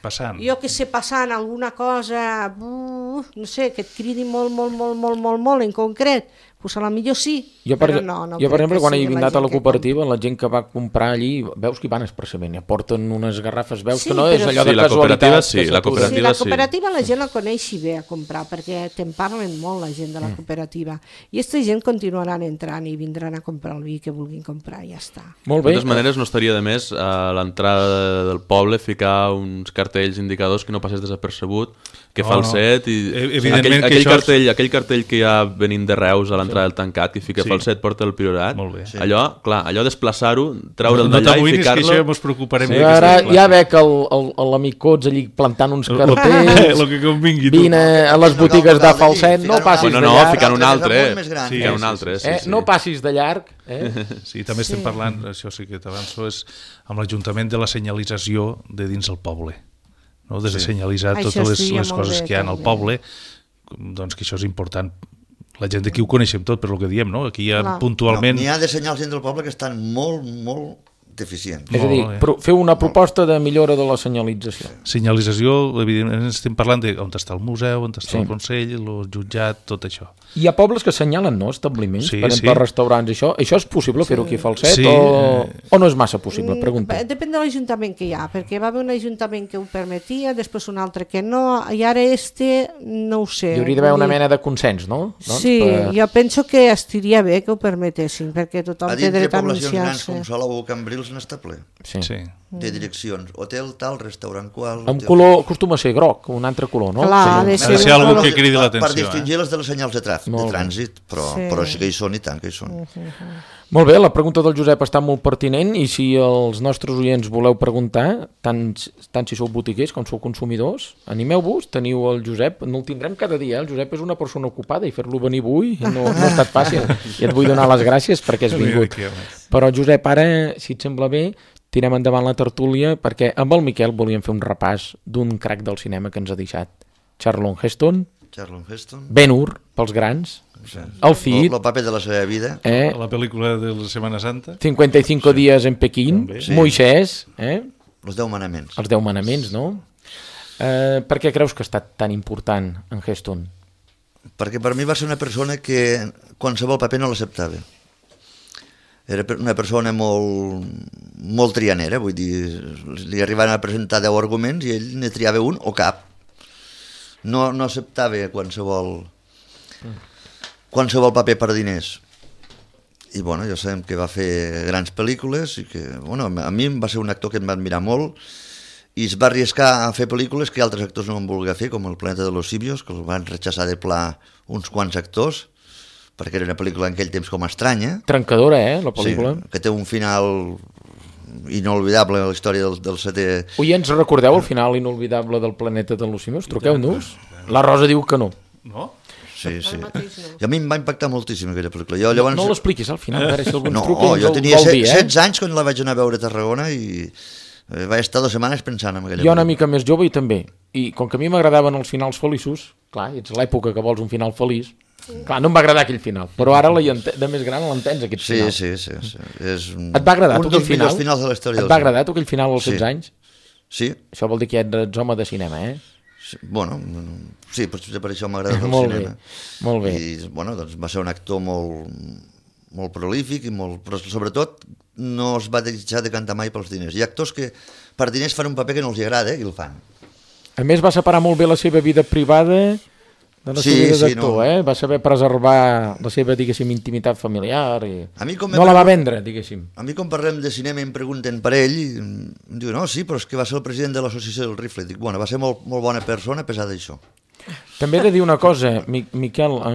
Passant.
jo que sé, passant alguna cosa, uh, no sé, que et cridi molt, molt, molt, molt, molt, molt en concret, doncs a la millor sí,
Jo, per,
però no, no
jo, per
crec
exemple,
que
quan he
sigui la
anat a
gent
la
que
cooperativa, la gent que va comprar allí, veus que hi van expressament, aporten unes garrafes, veus
Sí,
que no
però-
és allò
Sí,
de
la cooperativa
casualitat.
sí,
que
la
s'atura.
cooperativa
Sí, la
sí.
cooperativa la gent la coneix i ve a comprar, perquè te'n parlen molt la gent de la cooperativa. I aquesta gent continuaran entrant i vindran a comprar el vi que vulguin comprar, i ja està.
Molt
De
bé.
totes maneres, no estaria de més a l'entrada del poble ficar uns cartells indicadors que no passés desapercebut, que
No,
falset i
E- evidentment
aquell,
que
aquell,
això és-
cartell, aquell cartell que hi ha venint de Reus a l'entrada del tancat que fica
Sí.
falset porta el priorat.
Molt bé. Sí.
Allò, clar, allò desplaçar-ho, treure'l
No
d'allà i
t'amoïnis, que
ficar-lo.
això ens preocuparem.
Sí,
de
ara
aquestes
ja
classes.
veig el- el- l'amic Cots allí plantant uns
Lo-
cartells,
lo que convingui, tu.
vine a les
No cal
botigues
que
de
calgui,
falset, no
ficar un
passis
Bueno,
de
no,
llarg,
ficant un
altre
altre.
molt més gran.
Sí,
Sí,
un
sí,
altre, sí,
eh?
sí.
no passis de llarg. Eh?
Sí, també estem parlant, això sí que t'avanço, és amb l'Ajuntament de la senyalització de dins el poble. No? Des de senyalitzar
Això
totes les,
estaria
les
molt
coses
bé,
que hi ha al
també.
poble, doncs que això és important. La gent d'aquí ho coneixem tot, per lo que diem, no? Aquí hi ha
Clar.
puntualment...
No, n'hi ha de senyals dins del poble que estan molt, molt deficients.
És a dir,
Molt bé.
pro fer una proposta de millora de la senyalització.
Senyalització, evidentment, estem parlant de on està el museu, on està
Sí.
el Consell, el jutjat, tot això.
Hi ha pobles que assenyalen, no?, establiments,
Sí,
per exemple,
sí.
restaurants, això. Això és possible fer-ho aquí a Falset
Sí,
o,
eh.
o no és massa possible? Pregunto.
Mm, Depèn de l'Ajuntament que hi ha, perquè va haver un Ajuntament que ho permetia, després un altre que no, i ara este no ho sé.
Hi hauria d'haver
Vull
una
dir,
mena de consens, no? Doncs
Sí,
per-
jo penso que estiria bé que ho permetessin, perquè tothom
A
té
dintre de
dret a
poblacions grans
anunciar-se.
com Salou o Cambrils n'està ple.
Sí.
Sí.
De direccions. Hotel tal, restaurant qual...
En
hotel-
color, acostuma a ser groc, un altre color, no?
Clar,
Sí.
ha de
Ha
ser
de ser
un
algú
color-
que cridi
Per-
l'atenció.
Per distingir les de les senyals de, tràfic,
Molt
de
bé.
trànsit, però,
Sí.
però sí que hi són i tant que hi són.
Molt bé, la pregunta del Josep està molt pertinent i si els nostres oients voleu preguntar, tant, tant si sou botiguers com sou consumidors, animeu-vos, teniu el Josep, no el tindrem cada dia, el Josep és una persona ocupada i fer-lo venir avui no, no ha estat fàcil i et vull donar les gràcies perquè has vingut. Però Josep, ara, si et sembla bé, tirem endavant la tertúlia perquè amb el Miquel volíem fer un repàs d'un crac del cinema que ens ha deixat. Charlton Heston,
Charlton Heston.
Ben-Hur, pels grans, el Cid,
El paper de la seva vida.
eh?
La pel·lícula de la Setmana Santa.
cinquanta y cinco días en Pequín,
També.
Sí.
Moisès, eh?
Els deu manaments.
Els deu manaments, no? Eh, per què creus que ha estat tan important en Heston?
Perquè per mi va ser una persona que qualsevol paper no l'acceptava. Era per- una persona molt, molt trianera, vull dir, li arribaven a presentar deu arguments i ell ne triava un o cap. No, no acceptava qualsevol, qualsevol paper per diners. I bueno, ja sabem que va fer grans pel·lícules i que, bueno, a mi va ser un actor que em va admirar molt i es va arriscar a fer pel·lícules que altres actors no van voler fer, com El planeta de los simios, que el van rechaçar de pla uns quants actors, perquè era una pel·lícula en aquell temps com estranya,
Trencadora, eh, la pel·lícula.
sí, que té un final inolvidable a la història del, del setè...
Oients, recordeu el final inolvidable del planeta de los simios? Truqueu-nos. La Rosa diu que no.
No?
Sí, sí.
mateix no.
I a mi em va impactar moltíssim aquella pel·lícula. Jo, llavors...
No l'expliquis al final, a veure si algú ens
No,
truca i ens
jo
el
tenia
vol dir, eh?
setze anys quan la vaig anar a veure a Tarragona i eh, vaig estar dues setmanes pensant en aquella
Jo una
pel·lícula.
mica més jove i també. I com que a mi m'agradaven els finals feliços, clar, ets l'època que vols un final feliç, clar, no em va agradar aquell final, però ara la hi ente- de més gran l'entens, aquest
Sí,
final.
sí, sí, sí. És un,
Et va agradar
un
tu aquell
dels
final?
millors finals de la història
Et
del
va
cinema.
agradar tu aquell final als
Sí.
setze anys?
Sí,
Això vol dir que ets home de cinema, eh?
sí, bueno, sí, potser per això m'agrada el
Molt bé,
cinema.
molt bé.
I, bueno, doncs va ser un actor molt, molt prolífic, i molt, però sobretot no es va deixar de cantar mai pels diners. Hi ha actors que per diners fan un paper que no els agrada, eh, i el fan.
A més, va separar molt bé la seva vida privada de la
Sí,
seva vida
sí,
d'actor,
no.
eh? Va saber preservar la seva, diguéssim, intimitat familiar i...
A mi com me
no la va
pregun-
vendre, diguéssim.
A mi quan parlem de cinema i em pregunten per ell, i em diu, no, sí, però és que va ser el president de l'associació del Rifle. Dic, bueno, va ser molt, molt bona persona a pesar d'això.
També he de dir una cosa, Mi- Miquel, a,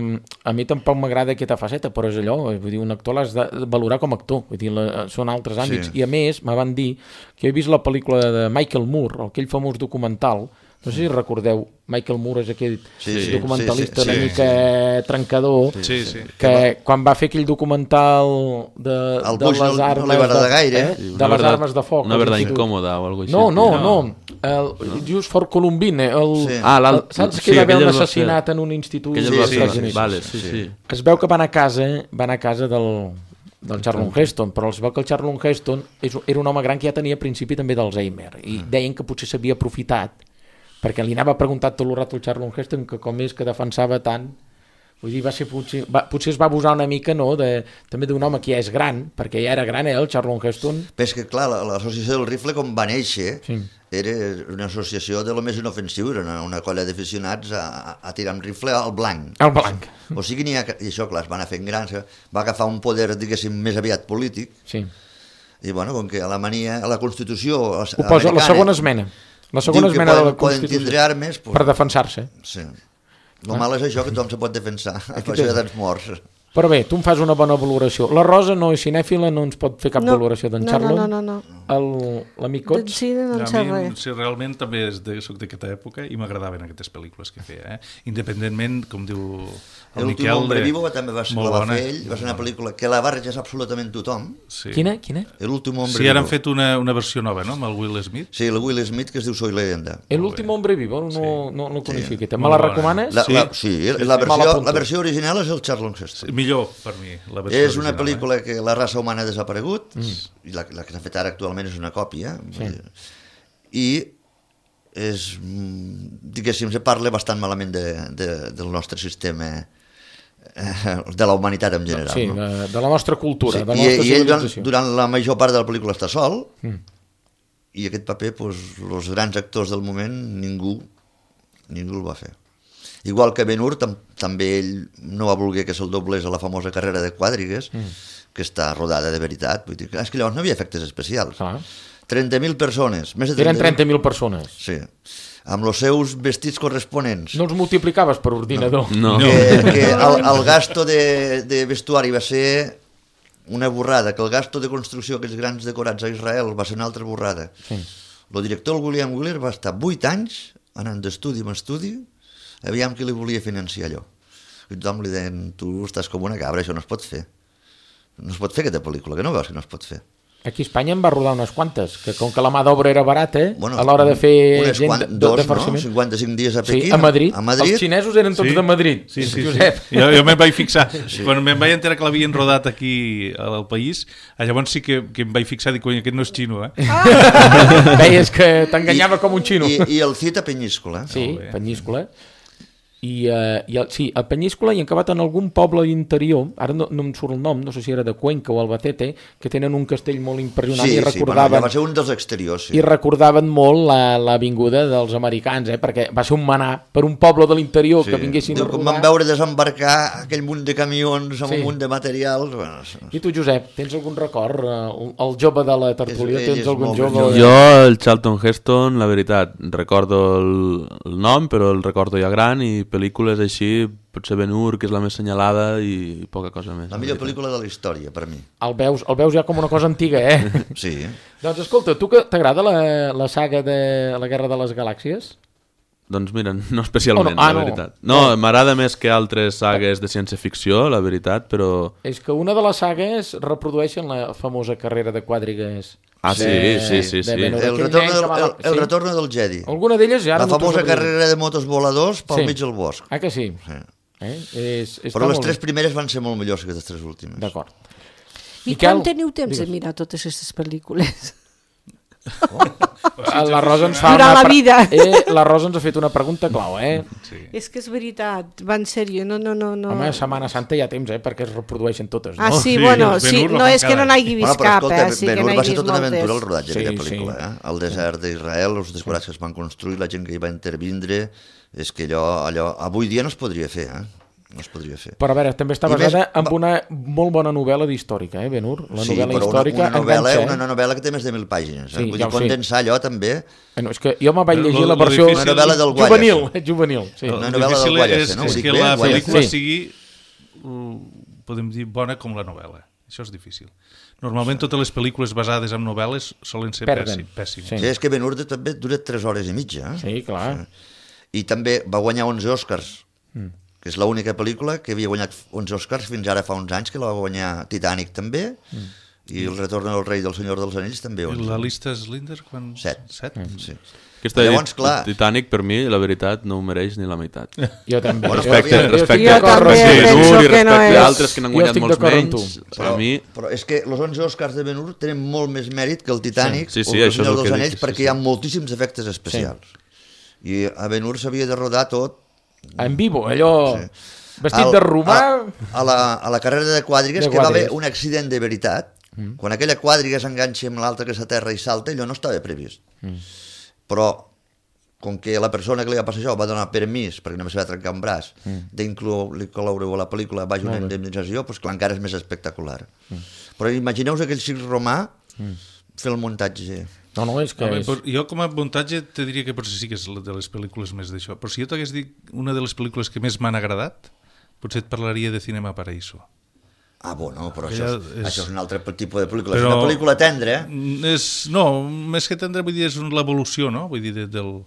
a mi tampoc m'agrada aquesta faceta, però és allò, vull dir, un actor l'has de valorar com a actor, vull dir, la, són altres àmbits.
Sí.
I a més, me van dir que he vist la pel·lícula de Michael Moore, aquell famós documental, no sé si recordeu, Michael Moore és aquell
Sí, sí,
documentalista
sí, sí,
una
sí,
mica trencador,
Sí, sí.
que quan va fer aquell documental de,
Al
de
Bush no-
les
no
armes
li va agradar
de,
gaire,
eh?
eh?
Sí,
de
una
les
verdad-
armes de foc.
Una
als
verdad
instituts.
incòmoda o alguna cosa
No,
així.
no,
No.
no. El, Just for Columbine. El,
Sí.
Ah, l'alt-
el, saps que
sí,
hi va haver
aquell
un
es va fer-
assassinat en un institut
Aquell
dels
es va
sí,
fer-
Estats Units?
Vale, sí, sí.
Es veu que van a casa, van a casa del, del Charlton Heston, però es veu que el Charlton Heston és, era un home gran que ja tenia a principi també d'Alzheimer, i deien que potser s'havia aprofitat, perquè li anava preguntat tot el rato al Charlton Heston que com és que defensava tant. Vull dir, va ser potser, va, potser es va abusar una mica, no?, de, també d'un home que ja és gran, perquè ja era gran, eh, el Charlton Heston.
Però és que, clar, la- l'associació del Rifle, com va néixer,
Sí.
era una associació de lo més inofensiu, era una, una colla d'aficionats a, a, a tirar amb rifle al blanc.
El blanc.
O sigui, n'hi ha, i això, clar, es van anar fent grans, va agafar un poder, diguéssim, més aviat polític,
Sí.
i, bueno, com que a la mania, a la Constitució
Ho posa la segona esmena. La segona
diu que
esmena de la
poden, poden
Constitució.
tindre armes, pues,
Per defensar-se.
sí. El mal és això, que tothom se pot defensar, per això hi ha tants morts.
Però bé, tu em fas una bona valoració. La Rosa no és cinèfila, no ens pot fer cap
No,
valoració d'en
no,
Charlton.
no, no, no.
El- L'amic
Del
Cots?
cine no en
A
sé
mi,
res.
sí, realment també és de, soc d'aquesta època i m'agradaven aquestes pel·lícules que feia, eh? Independentment, com diu el
L'últim
Miquel...
Hombre
de-
Vivo també va ser,
molt
la va
bona.
fer ell, va ser una pel·lícula que la va rechaçar absolutament tothom.
Sí.
Quina? Quina?
L'últim Hombre
Sí, ara han
Vivo.
fet una, una versió nova, no?, amb el Will Smith.
Sí, el Will Smith, que es diu Soy Leyenda.
El últim hombre vivo, no, no, no coneixia aquesta. Me
Molt
la
bona.
recomanes?
La,
Sí.
la, sí, la,
Me
versió,
l'apunto.
la versió original és el Charlton Heston.
Millor, per mi, la versió
És una
original,
pel·lícula que la raça humana ha desaparegut, i la, la que s'ha fet ara actualment és una còpia,
Sí.
i és, mm, diguéssim, se parla bastant malament de, de, del nostre sistema, eh, de la humanitat en general.
Sí,
no?
de, de la nostra cultura,
Sí,
de la
i,
nostra
i ell durant,
civilització.
durant la major part de la pel·lícula està sol,
Mm.
i aquest paper, doncs, els grans actors del moment, ningú, ningú el va fer. Igual que Ben Hur, tam també ell no va voler que se'l doblés a la famosa carrera de Quàdrigues, mm. que està rodada de veritat. Vull dir, clar, és que llavors no hi havia efectes especials.
Clar.
trenta mil persones, més de
Eren
trenta
trenta mil persones.
Sí, amb els seus vestits corresponents.
No els multiplicaves per ordinador.
No.
Que, que el, el gasto de, de vestuari va ser una borrada, que el gasto de construcció d'aquests grans decorats a Israel va ser una altra borrada.
Sí.
El director, el William Wyler, va estar vuit anys anant d'estudi en estudi, aviam qui li volia financiar allò. I tothom li deien, tu estàs com una cabra, això no es pot fer. No es pot fer aquesta pel·lícula, que no veus que no es pot fer.
Aquí a Espanya en va rodar unes quantes, que com que la mà d'obra era barata,
Bueno,
a l'hora de fer
unes
gent
quan-
de, de,
dos,
de
no?
farciment.
cinquanta-cinc dies a
Sí,
Pequín.
a Madrid.
A Madrid.
Els xinesos eren tots
Sí.
de Madrid.
Sí, sí, sí.
Josep.
Jo, jo me'n vaig fixar. Sí. Quan me'n vaig enterar que l'havien rodat aquí al país, llavors sí que, que em vaig fixar, dic, cony, aquest no és xino, eh?
Veies que t'enganyava com un xino.
I, i el Cita Penyíscola.
Sí,
Molt bé.
Penyíscola. I, uh, i el, sí, a Penyíscola i han acabat en algun poble interior, ara no, no em surt el nom, no sé si era de Cuenca o Albacete, que tenen un castell molt impressionant
Sí,
i
sí, bueno,
recordaven,
ja va ser un dels exteriors, sí.
i recordaven molt la, la vinguda dels americans, eh? Perquè va ser un manar per un poble de l'interior
Sí.
que vinguessin
Diu,
a
com
rodar.
van veure desembarcar aquell munt de camions amb
Sí.
un munt de materials... Bueno,
I tu, Josep, tens algun record? Eh, El jove de la tertúlia,
És- ell
tens
és
algun
molt
jove?
ben
Jo, el Charlton Heston, la veritat, recordo el, el nom, però el recordo ja gran, i pel·lícules així, potser Ben Hur, que és la més senyalada, i poca cosa més.
la millor pel·lícula de la història, per mi.
El veus, el veus ja com una cosa antiga, eh?
Sí.
Doncs escolta, tu que t'agrada la, la saga de la Guerra de les Galàxies?
Doncs mira, no especialment,
Oh, no. Ah,
la
no.
veritat. No, m'agrada més que altres sagues de ciència-ficció, la veritat, però...
És que una de les sagues reprodueixen la famosa carrera de quàdrigues.
Ah, sí,
de-
sí, sí,
de
sí.
Ben Hur.
El
Aquell
retorno,
nen
del,
que va-
el, el
sí?
retorno del Jedi.
Alguna d'elles ja... ara
La
no t'ho
famosa
sabria dir.
carrera de motos voladors pel
Sí.
mig del bosc.
Ah, que sí?
Sí.
Eh? És, està
Però les
molt
tres
bé.
primeres van ser molt millors que les tres últimes.
D'acord.
I
Miquel,
quan teniu temps
digues.
de mirar totes aquestes pel·lícules?
La Rosa ens fa
Durant
una...
la vida.
Eh, la Rosa ens ha fet una pregunta clau, eh?
Sí.
És que és veritat, va en sèrio, no, no, no. no.
Home, Setmana Santa hi ha temps, eh? Perquè es reprodueixen totes, no?
Ah, sí,
Sí,
bueno,
Ben
sí,
Hur lo
no
fan
és que no
cada
n'hagi
Bueno,
vist
però
cap,
escolta,
eh? Sí que
Ben Hur
n'he
va ser
vist
tota una aventura el
moltes.
rodatge
Sí,
d'aquella
sí.
pel·lícula, eh? El desert d'Israel, els decorats que es van construir, la gent que hi va intervindre, és que allò, allò avui dia no es podria fer, eh? No es podria fer.
Però a veure, també està
I més,
basada en
va-
una molt bona novel·la d'històrica, eh, Ben Hur? La
Sí,
novel·la
però
històrica
una, una, novel·la,
enganxa, eh?
una novel·la que té més de mil pàgines. Eh?
Sí,
Vull
ja
dir,
ho sé.
condensar allò també...
Bueno, és que jo me vaig
Però
llegir
lo-
la
lo
versió...
difícil-
Una novel·la del Guayas.
Juvenil, eh, juvenil, sí.
El
Una novel·la
difícil
del Guayas,
és,
no? Ho
és
dic
que
bé,
la
Guayas.
pel·lícula
Sí.
sigui, uh, podem dir, bona com la novel·la. Això és difícil. Normalment totes les pel·lícules basades en novel·les solen ser
Perden.
pèssim- pèssimes.
Sí.
Sí, és que Ben Hur també dura tres hores i mitja. Eh?
Sí, clar.
I també va guanyar onze Oscars, mm. que és l'única pel·lícula que havia guanyat onze Oscars fins ara fa uns anys, que la va guanyar Titanic també, mm. i El retorn del rei del Senyor dels Anells també.
I
onze.
la llista Slinder, quan...
Set.
Set?
Mm.
Sí.
Aquesta
Llavors,
Llavors,
clar-
Titanic, per mi, la veritat, no ho mereix ni la meitat.
Jo també.
Bueno,
Jo-
Respecte,
jo- jo
respecte
estic
Jo
d'acord
també
amb tu.
penso
Ben Hur i
que no
respecte
és-
a altres que n'han
Jo
guanyat
estic
molts
d'acord amb
menys,
tu.
per a mi...
Però és que els onze Oscars de Ben Hur tenen molt més mèrit que el Titanic
Sí, sí,
o
sí,
el
això és
Senyor
el
dels
que dic,
Anells
sí,
perquè
sí.
hi ha moltíssims efectes especials. I a Ben Hur s'havia de rodar tot
En vivo, allò...
Sí.
Vestit
Al-
de romà...
A, a, la, a la carrera de quadrigues,
De
que va haver
quadrigues.
un accident de veritat. Mm. Quan aquella quadriga s'enganxa amb l'altra que s'aterra i salta, allò no estava previst. Mm. Però, com que la persona que li va passar això va donar permís, perquè només se va trencar un braç, mm. d'incloure-ho a la pel·lícula baix una indemnització, doncs clar, encara és més espectacular. Mm. Però imagineu-vos aquell circ romà mm. fer el muntatge.
No, no, és que...
Home,
és...
però jo com a muntatge te diria que potser sí que és la de les pel·lícules més d'això. Però si jo t'hagués dit una de les pel·lícules que més m'han agradat, potser et parlaria de Cinema Paraíso.
Ah, bueno, però
Aquella
això és,
és-
això és un altre tipus de pel·lícula.
Però-
És una pel·lícula tendra, eh?
Mm, És, no, més que tendre, vull dir, és un- l'evolució, no? Vull dir, de, del...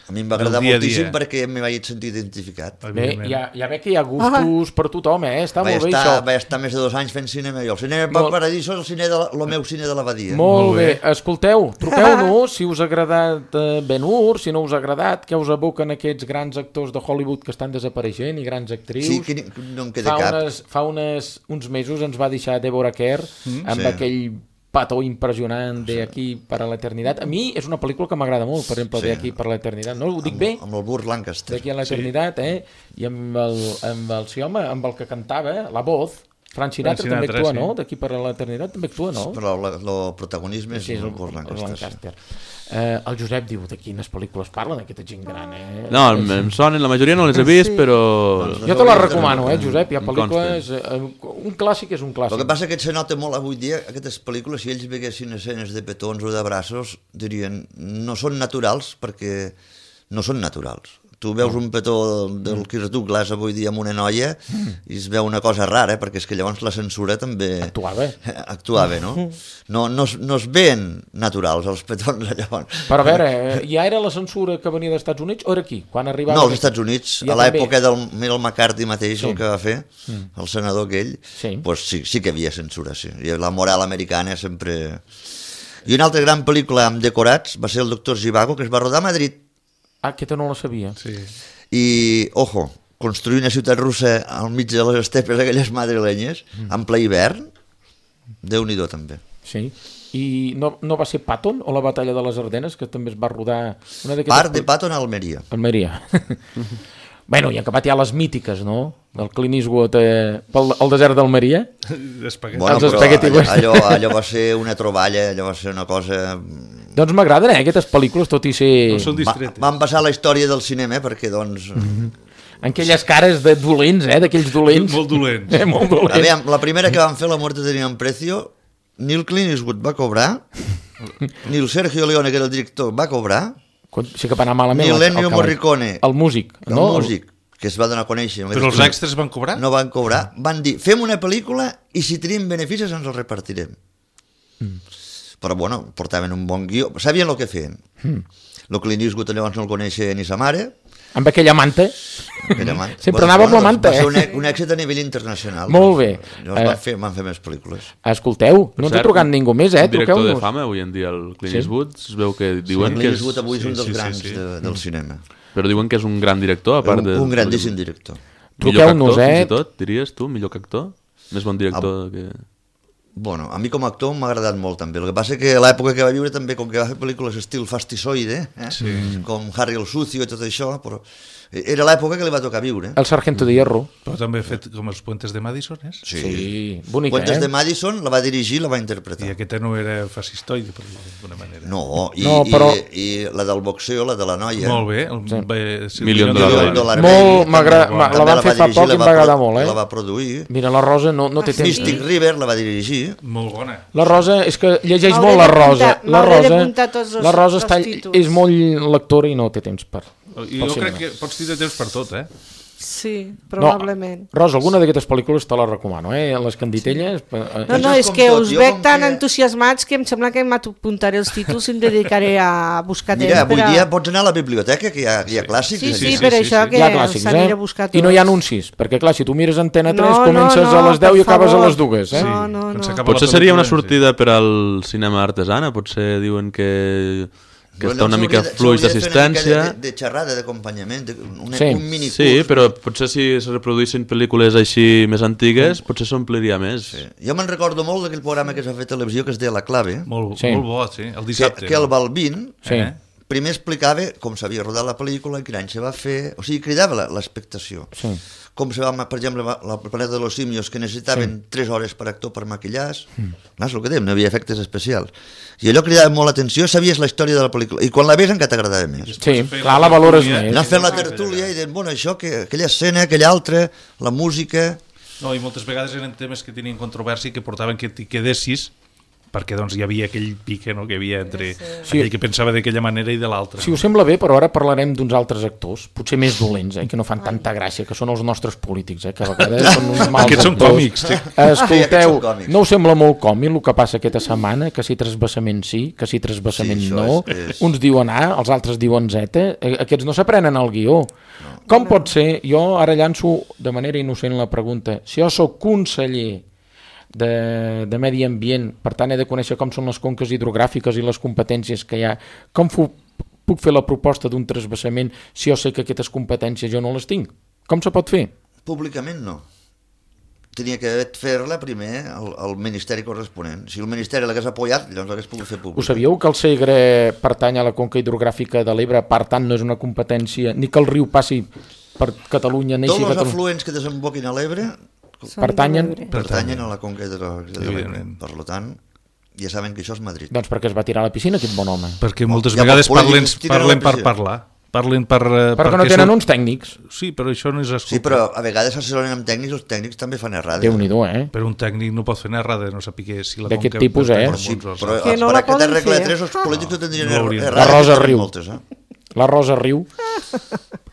A mi em va agradar
del dia a
moltíssim
dia.
perquè m'hi vaig sentir identificat.
Bé,
evidentment.
ja, ja veig que hi ha gustos per tothom, eh? Està
Vaig
molt bé,
estar,
això.
vaig estar més de dos anys fent cinema jo. El cinema
Molt-
molt... Paradiso és el, cine de la, el meu cine de l'abadia.
Molt,
Molt
bé.
bé.
Escolteu, truqueu-nos si us ha agradat eh, Ben Hur, si no us ha agradat, què us evoquen aquests grans actors de Hollywood que estan desapareixent i grans actrius.
Sí, que ni- no en queda
fa
cap.
unes, fa unes, uns mesos ens va deixar Deborah Kerr mm, amb
sí.
aquell petó impressionant de Aquí per a l'eternitat. A mi és una pel·lícula que m'agrada molt, per exemple,
Sí.
de Aquí per a l'eternitat. No ho dic
Amb,
bé?
amb el Burt Lancaster.
D'aquí a l'eternitat, eh? I amb el, amb el, sí, home, amb el que cantava, la voz, Frank Sinatra,
Frank
també
Sinatra,
actua,
sí.
no? D'aquí per a l'eternitat també actua, no?
Però la- el protagonisme és
Sí, és
el
el,
Burt
el
Lancaster.
Lancaster. Eh, el Josep diu de quines pel·lícules parlen aquesta gent gran, eh?
No, em, em sonen, la majoria no les he vist,
Sí.
però...
Doncs
Jo te la recomano, eh, Josep? Hi ha
Em
pel·lícules... Eh, un clàssic és un
El
clàssic.
que passa que se nota molt avui dia, aquestes pel·lícules, si ells veguessin escenes de petons o de braços, dirien, no són naturals perquè no són naturals. Tu veus un petó del Kirk Douglas avui dia amb una noia i es veu una cosa rara, perquè és que llavors la censura també...
Actuava.
Actuava, no? No, no, es- no es veien naturals, els petons, llavors.
Però a veure, eh, ja era la censura que venia dels Estats Units o era aquí? Quan arribava...
No, als Estats Units,
Ja
a l'època
també.
del Michael McCarthy mateix,
Sí.
el que va fer, el senador aquell,
Sí.
pues sí, sí que hi havia censura, sí. I la moral americana sempre... I una altra gran pel·lícula amb decorats va ser el Doctor Zhivago, que es va rodar a Madrid.
Ah, aquesta no la sabia.
Sí.
I, ojo, construir una ciutat russa al mig de les estepes aquelles madrilenyes, en ple hivern, Déu-n'hi-do també.
Sí. I no, no va ser Patton o la batalla de les Ardenes, que també es va rodar... Una d'aquestes
Part de
pel-
Patton a Almeria.
Almeria. Bueno, i han acabat ja les mítiques, no? Del Clint Eastwood eh, pel el desert d'Almeria.
Espaguet.
Bueno,
Els
però
spaghetti
allò,
western.
allò, allò va ser una troballa, allò va ser una cosa...
Doncs m'agraden, eh, aquestes pel·lícules, tot i ser...
No són
Va,
discretes.
van passar a la història del cinema, perquè, doncs...
En aquelles cares de dolents, eh, d'aquells dolents.
Molt dolents.
Eh, molt
A
dolents.
veure, la primera que van fer, La muerte tenía un precio, ni el Clint Eastwood va cobrar, ni el Sergio Leone, que era el director, va cobrar,
Quan- Sí que va anar malament.
ni
el- el
l'Ennio
cavall.
Morricone,
El músic,
el
no?
músic, que es va donar a conèixer.
Però els extras van cobrar?
No van cobrar. Van dir, fem una pel·lícula i si tenim beneficis ens els repartirem. Mm. Però, bueno, portaven un bon guió. Sabien el que feien. Mm. El Clint Eastwood llavors no el coneixia ni sa mare.
Amb aquella manta.
Aquella man-
Sempre anava amb la manta,
Va ser un,
eh?
un èxit a nivell internacional.
Molt bé.
Llavors
Eh,
van, fer, van fer més pel·lícules.
Escolteu, no ens ha
cert,
trucat ningú més, eh?
Un director de
Truqueu-nos.
fama avui en dia, el Clint
Sí.
Eastwood, es veu que
El
diuen que
Clint
és...
Eastwood avui és un
sí,
dels
sí, sí,
grans
sí.
de, del cinema.
Però diuen que és un gran director, a part
Un,
de...
un grandíssim director.
Millor que
Truqueu-nos,
actor,
eh?
fins i tot, diries tu, millor que actor? Més bon director que...
Bueno, a mi com a actor m'ha agradat molt també. El que passa que l'època que va viure també, com que va fer pel·lícules estil fastisoide, eh? Sí. Com Harry el Sucio i tot això, però era l'època que li va tocar viure.
El Sargento de Hierro.
Però també ha fet com els Puentes de Madison, és?
Sí,
sí. Bonica,
Puentes
eh?
de Madison la va dirigir, la va interpretar.
I aquest no era fascistoide, per d'alguna manera.
No, i,
no però...
i, i la del boxeo, la de la noia.
Molt bé. El,
sí.
bé
sí. Million Dollar
Baby. Molt m'agrada, la van fer fa poc i em va agradar molt, eh?
La va produir.
Mira, la Rosa no, no té temps.
Mystic River la va dirigir.
Molt bona.
La Rosa, és que llegeix molt la Rosa. La Rosa, la Rosa està, és molt lectora i no té temps per...
Jo crec que pots tindre temps per tot, eh?
Sí, probablement.
No, Rosa, alguna d'aquestes pel·lícules te la recomano, eh? Les Canditelles...
Sí. No, no, és que us veig tan que... entusiasmats que em sembla que m'apuntaré els títols i em dedicaré a buscar temps.
Mira, avui
a...
dia pots anar a la biblioteca, que hi ha, hi ha clàssics.
Sí, sí,
sí,
sí, per
sí,
això
sí,
que
sí.
s'aniré a buscar tots.
I no hi ha anuncis, perquè clar, si tu mires Antena tres,
no,
comences
no, no,
a les deu i acabes
favor.
a les dues, eh?
No, no, no.
Potser seria una sortida per al cinema artesana, potser diuen que... que està una mica fluix d'assistència.
De, de xerrada, d'acompanyament, un,
sí.
un minicurs.
Sí, però potser si es reproduïssin pel·lícules així més antigues, mm. potser s'ompliria més.
Sí. Jo me'n recordo molt d'aquell programa que s'ha fet a televisió que es deia La Clave.
Molt,
sí.
molt bo, sí, el dissabte.
Que, que el Balbín
sí.
eh, primer explicava com s'havia rodat la pel·lícula, quin any se va fer... O sigui, cridava l'expectació.
Sí.
Com se va, per exemple, la Planeta de los Simios, que necessitaven sí. tres hores per actor per maquillar-se. Mm. No és el que dèiem, no hi havia efectes especials. I allò cridava molt l'atenció, sabies la història de la pel·lícula. I quan la veus encara t'agradava més.
Sí, clar, la valores més.
Anar fent la tertúlia i dient, bueno, això, que, aquella escena, aquella altra, la música...
No, i moltes vegades eren temes que tenien controvèrsia i que portaven que t'hi quedessis, perquè doncs hi havia aquell pique, no?, que hi havia entre sí. aquell que pensava d'aquella manera i de l'altra.
Si us sembla bé, però ara parlarem d'uns altres actors, potser més dolents, eh, que no fan tanta gràcia, que són els nostres polítics, eh, que a vegades són uns mals
Aquests són
actors.
còmics. Sí.
Escolteu, no us sembla molt còmic el que passa aquesta setmana, que si trasbassament sí, que si trasbassament sí, no, és, és... uns diuen A, els altres diuen Z, aquests no s'aprenen el guió. No. Com pot ser, jo ara llanço de manera innocent la pregunta, si jo sóc conseller De, de medi ambient, per tant he de conèixer com són les conques hidrogràfiques i les competències que hi ha, com fu, puc fer la proposta d'un trasbassament si jo sé que aquestes competències jo no les tinc? Com se pot fer?
Públicament no. Tenia que fer-la primer al, al Ministeri corresponent. Si el Ministeri l'hagués apoyat, llavors l'hagués pogut fer públic.
Ho sabíeu que el Segre pertany a la conca hidrogràfica de l'Ebre, per tant no és una competència, ni que el riu passi per Catalunya, neixi
Tots els
Catalunya.
afluents que desemboquin a l'Ebre
pertanyen
pertanyen a la conca de l'Ebre. Per tant, ja saben que això és Madrid.
Doncs perquè es va tirar a la piscina aquest bon home.
Perquè moltes oh, vegades parlen, parlen per parlar. Parlen per,
perquè, perquè no tenen són... uns tècnics.
Sí, però això no és escoltar.
Sí, però a vegades s'assessoren amb tècnics, els tècnics també fan errades.
Déu-n'hi-do, eh?
Però un tècnic no pot fer errada, no sàpiga si la conca...
D'aquest tipus, eh?
Però, sí, però que no per aquesta regla de tres els polítics no tindrien
no
errades.
La Rosa riu. Moltes, eh? La Rosa riu.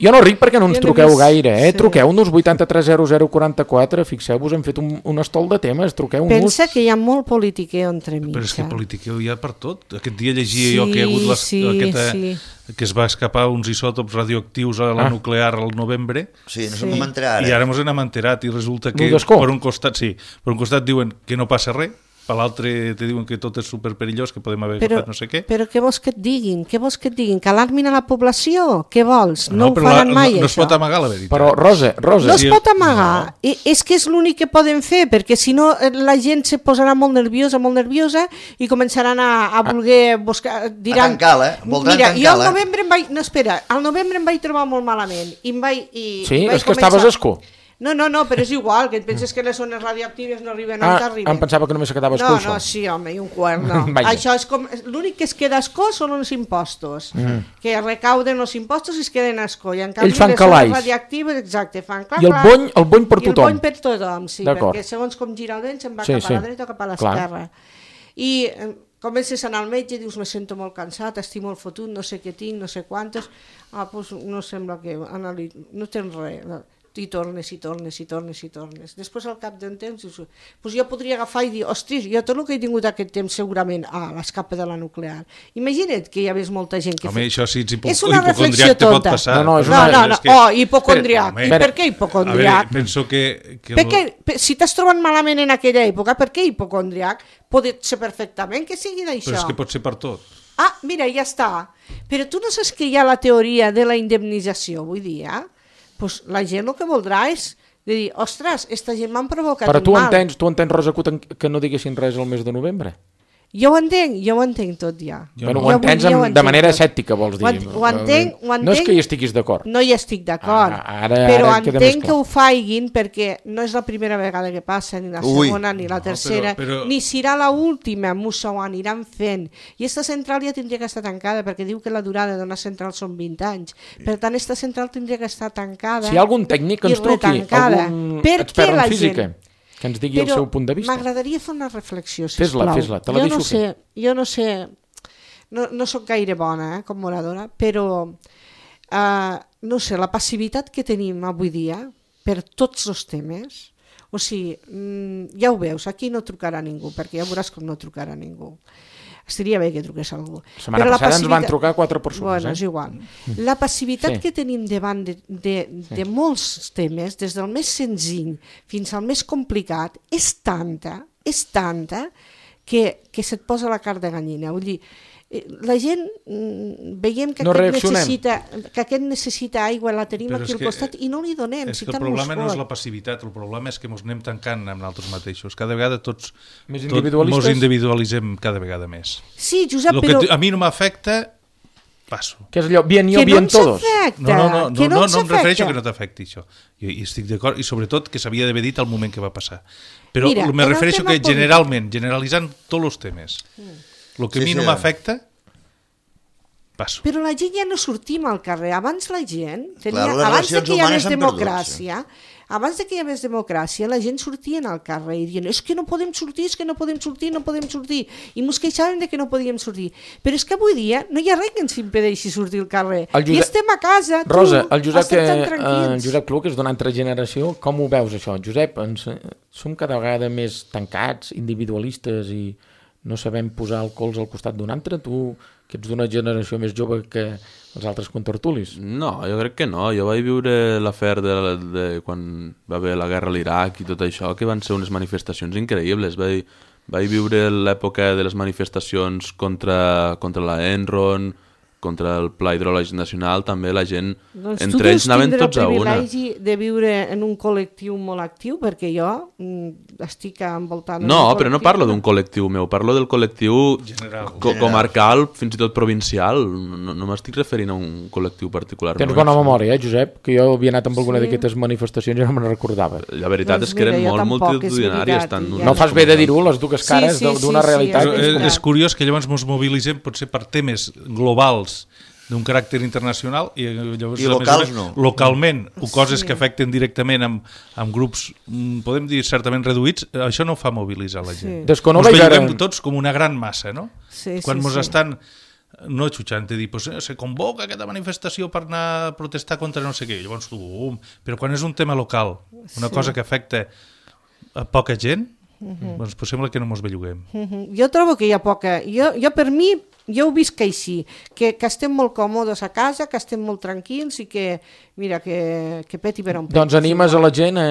Jo no ric perquè no ens truqueu gaire, eh? Sí. Truqueu-nos vuitanta-tres zero zero quaranta-quatre, fixeu-vos, hem fet un, un estol de temes, truqueu-nos.
Pensa que hi ha molt politiqueu entremig.
Però és que politiqueu hi ha per tot. Aquest dia llegia sí, jo que hi ha hagut les, sí, aquesta, sí. que es va escapar uns isòtops radioactius a la ah. nuclear al novembre.
Sí, no sí. enterat,
I ara ens n'hem enterat i resulta que per un costat, sí, per un costat diuen que no passa res, per l'altre te diuen que tot és superperillós, que podem haver
però,
agafat no sé què.
Però què vols que et diguin? Què vols que et diguin? Que alarmin a la població? Què vols? No, no ho faran
la,
mai,
no, no
això.
No es pot amagar, la veritat.
Però, Rosa, Rosa...
No es pot amagar. No. És que és l'únic que poden fer, perquè si no la gent se posarà molt nerviosa, molt nerviosa, i començaran a, a voler buscar... Diran,
a tancar-la, voldran
mira,
tancar-la.
Jo al novembre em vaig... No, espera, al novembre em vaig trobar molt malament. I em vaig, i,
sí,
i vaig
és que
començar...
estaves escó.
No, no, no, però és igual, que et penses que les zones radioactives no arriben
ah,
on t'arriben.
Em pensava que només se quedava escó,
no,
això.
No, sí, home, i un quart, no. Això és com... L'únic que es queda a escó són els impostos, mm. que recauden els impostos i es queden a escó. I en canvi,
ells fan
les zones radioactives, exacte, fan clar,
I el bony, el bony per tothom.
I el bony per tothom, sí, perquè segons com gira el vent se'n va sí, cap a sí. la dreta o cap a l'esquerra. I... comences a anar al metge i dius, me sento molt cansat, estic molt fotut, no sé què tinc, no sé quantes, ah, doncs no sembla que... no tens res... i tornes, i tornes, i tornes, i tornes. Després, al cap d'un temps, dius, pues jo podria agafar i dir, ostres, jo tot el que he tingut aquest temps segurament, ah, l'escapa de la nuclear. Imagina't que hi hagués molta gent que...
Home, això sí, ets
és una reflexió tonta.
Passar.
No, no, és
una...
una...
no, no, no. Oh, hipocondriac. I per què hipocondriac?
A veure, penso que... que
perquè, el... si t'has trobat malament en aquella època, per què hipocondriac? Pot ser perfectament que sigui d'això.
Però és que pot ser per tot.
Ah, mira, ja està. Però tu no saps que hi ha la teoria de la indemnització avui dia? Pues la gent el que voldrà és De dir, ostres, esta gent m'han provocat
Però
un
tu
mal.
entens, tu entens, Rosa, que, que no diguessin res al mes de novembre?
Jo ho entenc, jo ho entenc tot ja.
Bueno,
Jo
ho entens
avui dia ho
amb, de
entenc
manera
tot.
escèptica, vols dir?
Ho, en, ho entenc, ho entenc.
No és que hi estiguis d'acord.
No hi estic d'acord,
Ah, ara-
però
ara queda més
entenc
clar.
que ho faiguin perquè no és la primera vegada que passa, ni la
Ui.
segona, ni la
No,
tercera,
però- però-
ni serà la última, m'ho aniran fent. I esta central ja tindria que estar tancada, perquè diu que la durada d'una central són vint anys. Per tant, esta central tindria que estar tancada.
Si hi ha algun tècnic que
i
ens truqui,
retancada.
algun
Per què
expert
la
en física,
gent-
que ens digui el
Però
seu punt de vista.
m'agradaria fer una reflexió,
Fes-la,
sisplau.
fes-la, te la
jo
deixo
no sé,
fer.
jo no sé, no, no sóc gaire bona eh, com oradora, però uh, no sé, la passivitat que tenim avui dia per tots els temes, o sigui, mm, ja ho veus, aquí no trucarà ningú, perquè ja veuràs com no trucarà ningú. Estaria bé que truqués algú.
La setmana
Però la
passada ens van
passivitat-
trucar quatre persones.
Bueno,
eh?
és igual. La passivitat
Sí.
que tenim davant de, de, de molts temes, des del més senzill fins al més complicat, és tanta, és tanta, que, que se't posa la carn de gallina. Vull dir, eh, la gent mm, veiem que,
No
aquest
reaccionem.
necessita, que aquest necessita aigua, la tenim
Però
aquí
és
al
que-
costat i no li donem.
És
si
que el
tant
problema
mos
no és
fot.
la passivitat, el problema és que ens anem tancant amb nosaltres mateixos. Cada vegada tots
Més
tot,
individualistes?
mos individualitzem cada vegada més.
Sí, Josep,
El que
però...
t- a mi no m'afecta, passo.
Que és allò, bien yo,
que no
bien
ens
todos.
afecta,
No, no, no, no,
que no,
no,
ens
no em refereixo
afecta.
que no t'afecti això. I, i estic d'acord, i sobretot que s'havia d'haver dit al moment que va passar. Però
Mira,
me
en el
refereixo
tema
que
polític-
generalment, generalitzant tots els temes, el que
Sí,
a mi
sí.
no m'afecta, passo.
Però la gent ja no sortim al carrer. Abans la gent, tenia,
Clar, les
abans de
relacions
que hi hagués
humanes s'han perdut,
democràcia, abans de que hi hagués democràcia, la gent sortien al carrer i dient és que no podem sortir, és que no podem sortir, no podem sortir. I mos queixaven de que no podíem sortir. Però és que avui dia no hi ha res que ens impedeixi sortir al carrer.
El Josep-
I estem a casa, tu,
Rosa, el Josep,
estem
que,
tan
eh,
tranquils.
el Josep Cluc és d'una altra generació, com ho veus això? Josep, ens, eh, som cada vegada més tancats, individualistes i no sabem posar el cols al costat d'un altre? Tu, que ets d'una generació més jove que els altres contertulis.
No, jo crec que no. Jo vaig viure l'afer de, de quan va haver la guerra a l'Iraq i tot això, que van ser unes manifestacions increïbles. Vaig, vaig viure l'època de les manifestacions contra, contra la Enron, contra el Pla Hidrològic Nacional, també la gent,
Doncs
entre
tu
ells
deus
anaven
tindre
tots a
el
una.
privilegi de viure en un col·lectiu molt actiu, perquè jo mm, estic envoltant...
No, però no parlo d'un col·lectiu meu, parlo del col·lectiu
General.
co comarcal, fins i tot provincial. No, no m'estic referint a un col·lectiu particular.
Tens
no,
bona
això.
memòria, eh, Josep? Que jo havia anat amb alguna
Sí.
d'aquestes manifestacions i no me'n recordava.
La veritat
Doncs
és que eren
mira, jo
molt
tampoc, és
multitudinàries.
veritat,
Tant
i ja
No
no.
fas bé de dir-ho, les dues
Sí,
cares
sí,
de-
sí,
d'una
sí,
realitat.
Però
és
és,
veritat.
és curiós que llavors ens mobilitzem potser per temes globals d'un caràcter internacional i llavors
I
a més a
locals
més,
no.
localment o coses
Sí.
que afecten directament amb, amb grups, mm, podem dir certament reduïts, això no fa mobilitzar la gent.
Sí.
Desconno
Ens
vaig
veiem
ara-
tots com una gran massa, no?
Sí, sí,
Quan mos
sí.
estan no xutxant, de dir, pues, eh, se convoca aquesta manifestació per anar a protestar contra no sé què, llavors tu, um, però quan és un tema local, una
Sí.
cosa que afecta a poca gent, doncs pues sembla que no mos belluguem.
Mhm. Jo trobo que hi ha poca... Jo, jo per mi, jo ho visc així, que, que estem molt còmodes a casa, que estem molt tranquils i que, mira, que, que peti per on peti.
Doncs animes a la gent a,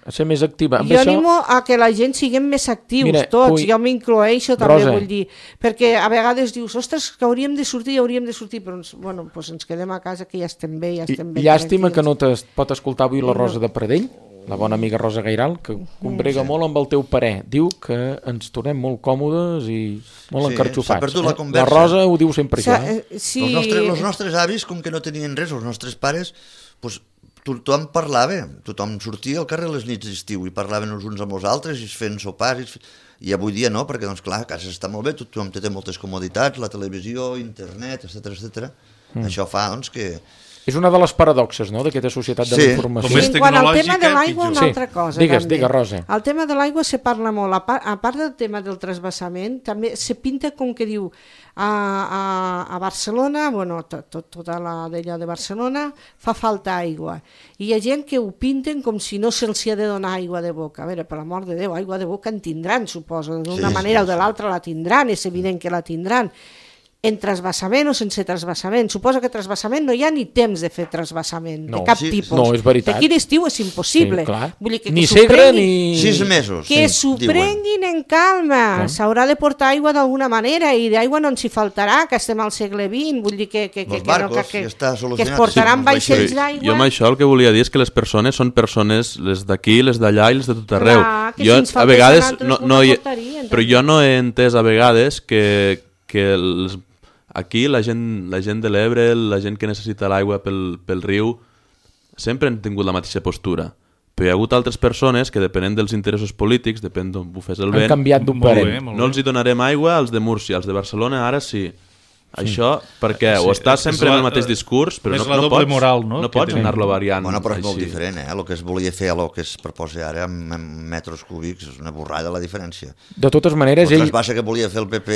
a ser més activa. Amb
Jo
això,
animo a que la gent siguem més actius,
Mira,
tots,
vull-
jo m'incloeixo també,
Rosa.
vull dir, perquè a vegades dius, ostres, que hauríem de sortir, hauríem de sortir, però ens, bueno, doncs ens quedem a casa, que ja estem bé, ja
I,
estem bé.
llàstima que
tranquils.
no te pot escoltar avui la Rosa de Pradell, la bona amiga Rosa Gairal, que combrega molt amb el teu parer. Diu que ens tornem molt còmodes i molt
Sí,
encarxofats.
s'ha perdut la
eh?
conversa.
La Rosa ho diu sempre,
Sa-
això. Eh?
eh, sí,
Els, nostres, els nostres avis, com que no tenien res, els nostres pares, pues, tothom parlava, tothom sortia al carrer les nits d'estiu i parlaven els uns amb els altres i es feien sopars. I, es fe... I avui dia no, perquè doncs, clar, a casa està molt bé, tothom té moltes comoditats, la televisió, internet, etcètera etcètera. Mm. Això fa doncs, que...
És una de les paradoxes, no?, d'aquesta societat de
Sí,
la
com
informació.
més
Sí, en quant al tema
tecnològica,
de l'aigua, una
pitjor.
altra
Sí,
cosa.
digues,
també.
digues, Rosa.
El tema de l'aigua se parla molt. A part, a part del tema del trasbassament, també se pinta com que diu a, a, a Barcelona, bueno, tot, tot, tota la d'allò de Barcelona, fa falta aigua. I hi ha gent que ho pinten com si no se'ls ha de donar aigua de boca. A veure, per l'amor de Déu, aigua de boca en tindran, suposo. D'una
Sí,
manera
sí,
o de l'altra la tindran, és evident que la tindran. en trasbassament o sense trasbassament. Suposo que trasbassament no hi ha ni temps de fer trasbassament,
No,
de cap
sí,
tipus.
no, és veritat.
D'aquí l'estiu és impossible.
Sí, clar.
Vull dir que,
Ni
que s'ho
segre
prenguin-
ni...
Sis mesos.
Que
sí,
s'ho
diuen.
prenguin en calma, s'haurà de portar aigua d'alguna manera i d'aigua no ens hi faltarà, que estem al segle vint, vull dir que, que, que,
Els
que, no,
barcos,
que, que,
ja està
que es
solucionat.
portaran
Sí,
vaixells
Sí,
d'aigua.
jo amb això el que volia dir és que les persones són persones, les d'aquí, les d'allà i les de tot arreu.
Clar, que
jo,
si ens
a
faltés
vegades,
a nosaltres,
no,
ho
no hi,
portarien,
però
també.
jo no he entès a vegades que, que els, aquí la gent, la gent de l'Ebre, la gent que necessita l'aigua pel, pel riu, sempre han tingut la mateixa postura. Però hi ha hagut altres persones que, depenent dels interessos polítics, depèn d'on bufés el
Han
vent,
canviat
Molt
d'operent.
bé, molt
no
bé.
els hi donarem aigua als de Múrcia, als de Barcelona ara sí. Això, perquè
Sí,
o estàs
és
sempre
la-
en el mateix discurs, però
és
no,
la
no
doble
pots,
moral, no,
no
que
pots
tenim.
anar-lo variant
Bueno, però és molt
així.
diferent, eh? El que es volia fer a el que es proposa ara amb, amb metres cúbics és una borrada la diferència.
De totes maneres,
El
ell...
trasbassa que volia fer el P P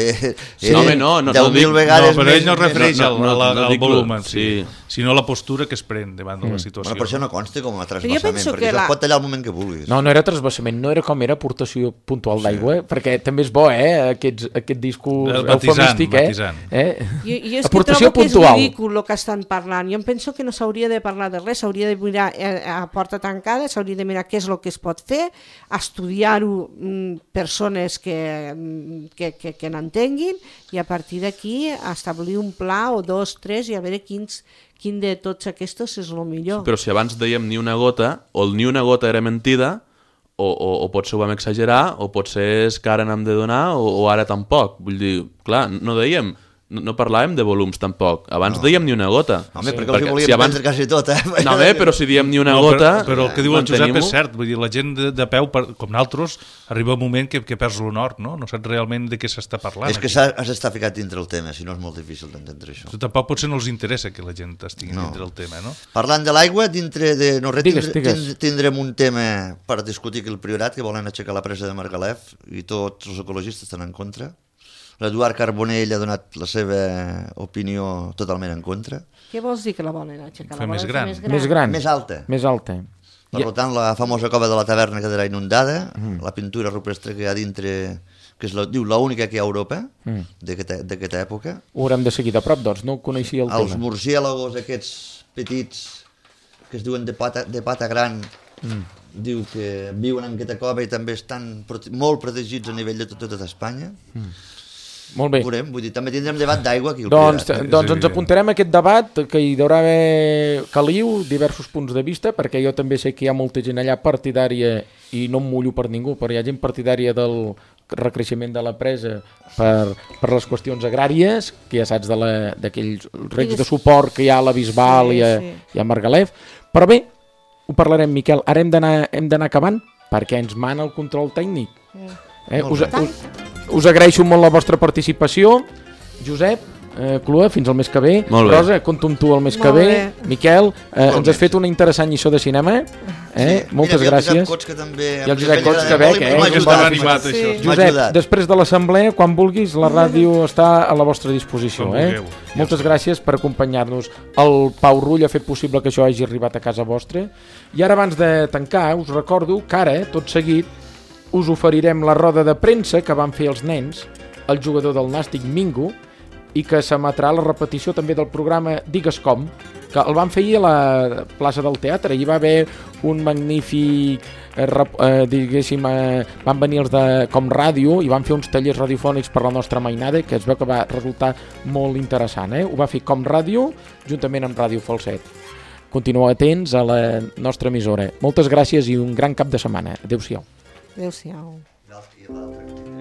Sí, no, home, no, no,
deu
no
mil
dic-
vegades
No, però
més,
ell no es
més-
refereix
no,
al,
no,
al,
no
al
dic lo-
volum, en
sí.
sí, sinó la postura que es pren davant de la situació.
Bueno, per això no consta com a
Però
trasbassament,
jo penso
perquè
que
això
la-
es pot tallar al moment que vulguis.
No, no era transbassament, no era com era aportació puntual d'aigua, perquè també és bo, eh, aquests, aquest discurs
El matisant,
eufemístic, eh?
matisant.
eh?
Jo, jo és que
Aportació
trobo que
puntual.
és ridícul el que estan parlant. Jo em penso que no s'hauria de parlar de res, s'hauria de mirar eh, a porta tancada, s'hauria de mirar què és el que es pot fer, estudiar-ho mm, persones que, mm, que, que, que n'entenguin i a partir d'aquí establir un pla o dos, tres i a veure quins, quin de tots aquests és el millor.
Però si abans dèiem ni una gota, o el ni una gota era mentida, o, o, o potser ho vam exagerar, o potser és que ara n'hem de donar, o, o ara tampoc. Vull dir, clar, no dèiem... No, no parlàvem de volums tampoc. Abans no. dèiem ni una gota.
Home, sí. perquè els hi volíem si abans... prendre quasi tot, eh?
No, bé, però si diem ni una
no,
gota...
Però, però el que diu el Josep
mantenim-ho.
és cert. Vull dir, la gent de, de peu, per, com nosaltres, arriba un moment que, que perds l'honor, no? No saps realment de què s'està parlant.
És que
aquí.
has d'estar ficat dintre el tema, si no és molt difícil d'entendre això.
Però tampoc potser no els interessa que la gent estigui
No.
dintre el tema, no?
Parlant de l'aigua, dintre de... No, res,
Digues,
tindre,
digues.
tind- tindrem un tema per discutir aquí el Priorat, que volen aixecar la presa de Margalef, i tots els ecologistes estan en contra. L'Eduard Carbonell ha donat la seva opinió totalment en contra.
Què vols dir que la volen aixecar?
Fer
La volen
més
fer
gran.
Més gran.
Més gran.
Més alta.
Més alta.
Per
I-
tant, la famosa cova de la taverna quedarà inundada, mm. la pintura rupestre que hi ha dintre, que és la, diu l'única que hi ha a Europa, mm. d'aquesta d'aquesta època.
Ho haurem de seguir de prop, doncs, no coneixia el
Els
tema.
murciélagos aquests petits, que es diuen de pata, de pata gran, mm. diu que viuen en aquesta cova i també estan prote molt protegits a nivell de tot, tota Espanya. Mm.
Molt bé.
Veurem, vull dir, també tindrem debat d'aigua aquí al
Doncs,
Priorat.
doncs ens
evident.
apuntarem a aquest debat, que hi haurà haver caliu, diversos punts de vista, perquè jo també sé que hi ha molta gent allà partidària, i no em mullo per ningú, però hi ha gent partidària del recreixement de la presa per, per les qüestions agràries, que ja saps de la- d'aquells regs de suport que hi ha a la Bisbal
Sí,
i, a,
sí.
i a Margalef. Però bé, ho parlarem, Miquel. Ara hem d'anar hem d'anar acabant, perquè ens mana el control tècnic. Eh,
Molt
us,
bé.
us, us agraeixo molt la vostra participació. Josep, eh, Clua, fins al mes que ve.
Molt bé.
Rosa, compto amb tu el mes que
Molt
ve.
bé.
Miquel, eh, ens
Igualment,
has fet
sí.
una interessant lliçó de cinema. Eh?
Sí.
Moltes
Mira,
gràcies.
I el Josep Cots, que també...
I el Josep Cots, que bé, que
m'ha
és
que
ajudat.
estava animat,
Sí.
això.
M'ha
Josep,
ajudat.
després de l'assemblea, quan vulguis, la ràdio està a la vostra disposició.
Quan
Eh?
vulgueu. Ja
Moltes
ho sé.
gràcies per acompanyar-nos. El Pau Rull ha fet possible que això hagi arribat a casa vostra. I ara, abans de tancar, us recordo que ara, tot seguit, us oferirem la roda de premsa que van fer els nens, el jugador del Nàstic Mingo, i que s'emetrà la repetició també del programa Digues Com, que el van fer ahir a la plaça del Teatre. Hi va haver un magnífic, eh, rep- eh, diguéssim, eh, van venir els de Com Ràdio i van fer uns tallers radiofònics per la nostra mainada, que es veu que va resultar molt interessant. Eh? Ho va fer Com Ràdio, juntament amb Ràdio Falset. Continueu atents a la nostra emissora. Moltes gràcies i un gran cap de setmana. Adéu-siau.
Adéu-siau.
I l'altre.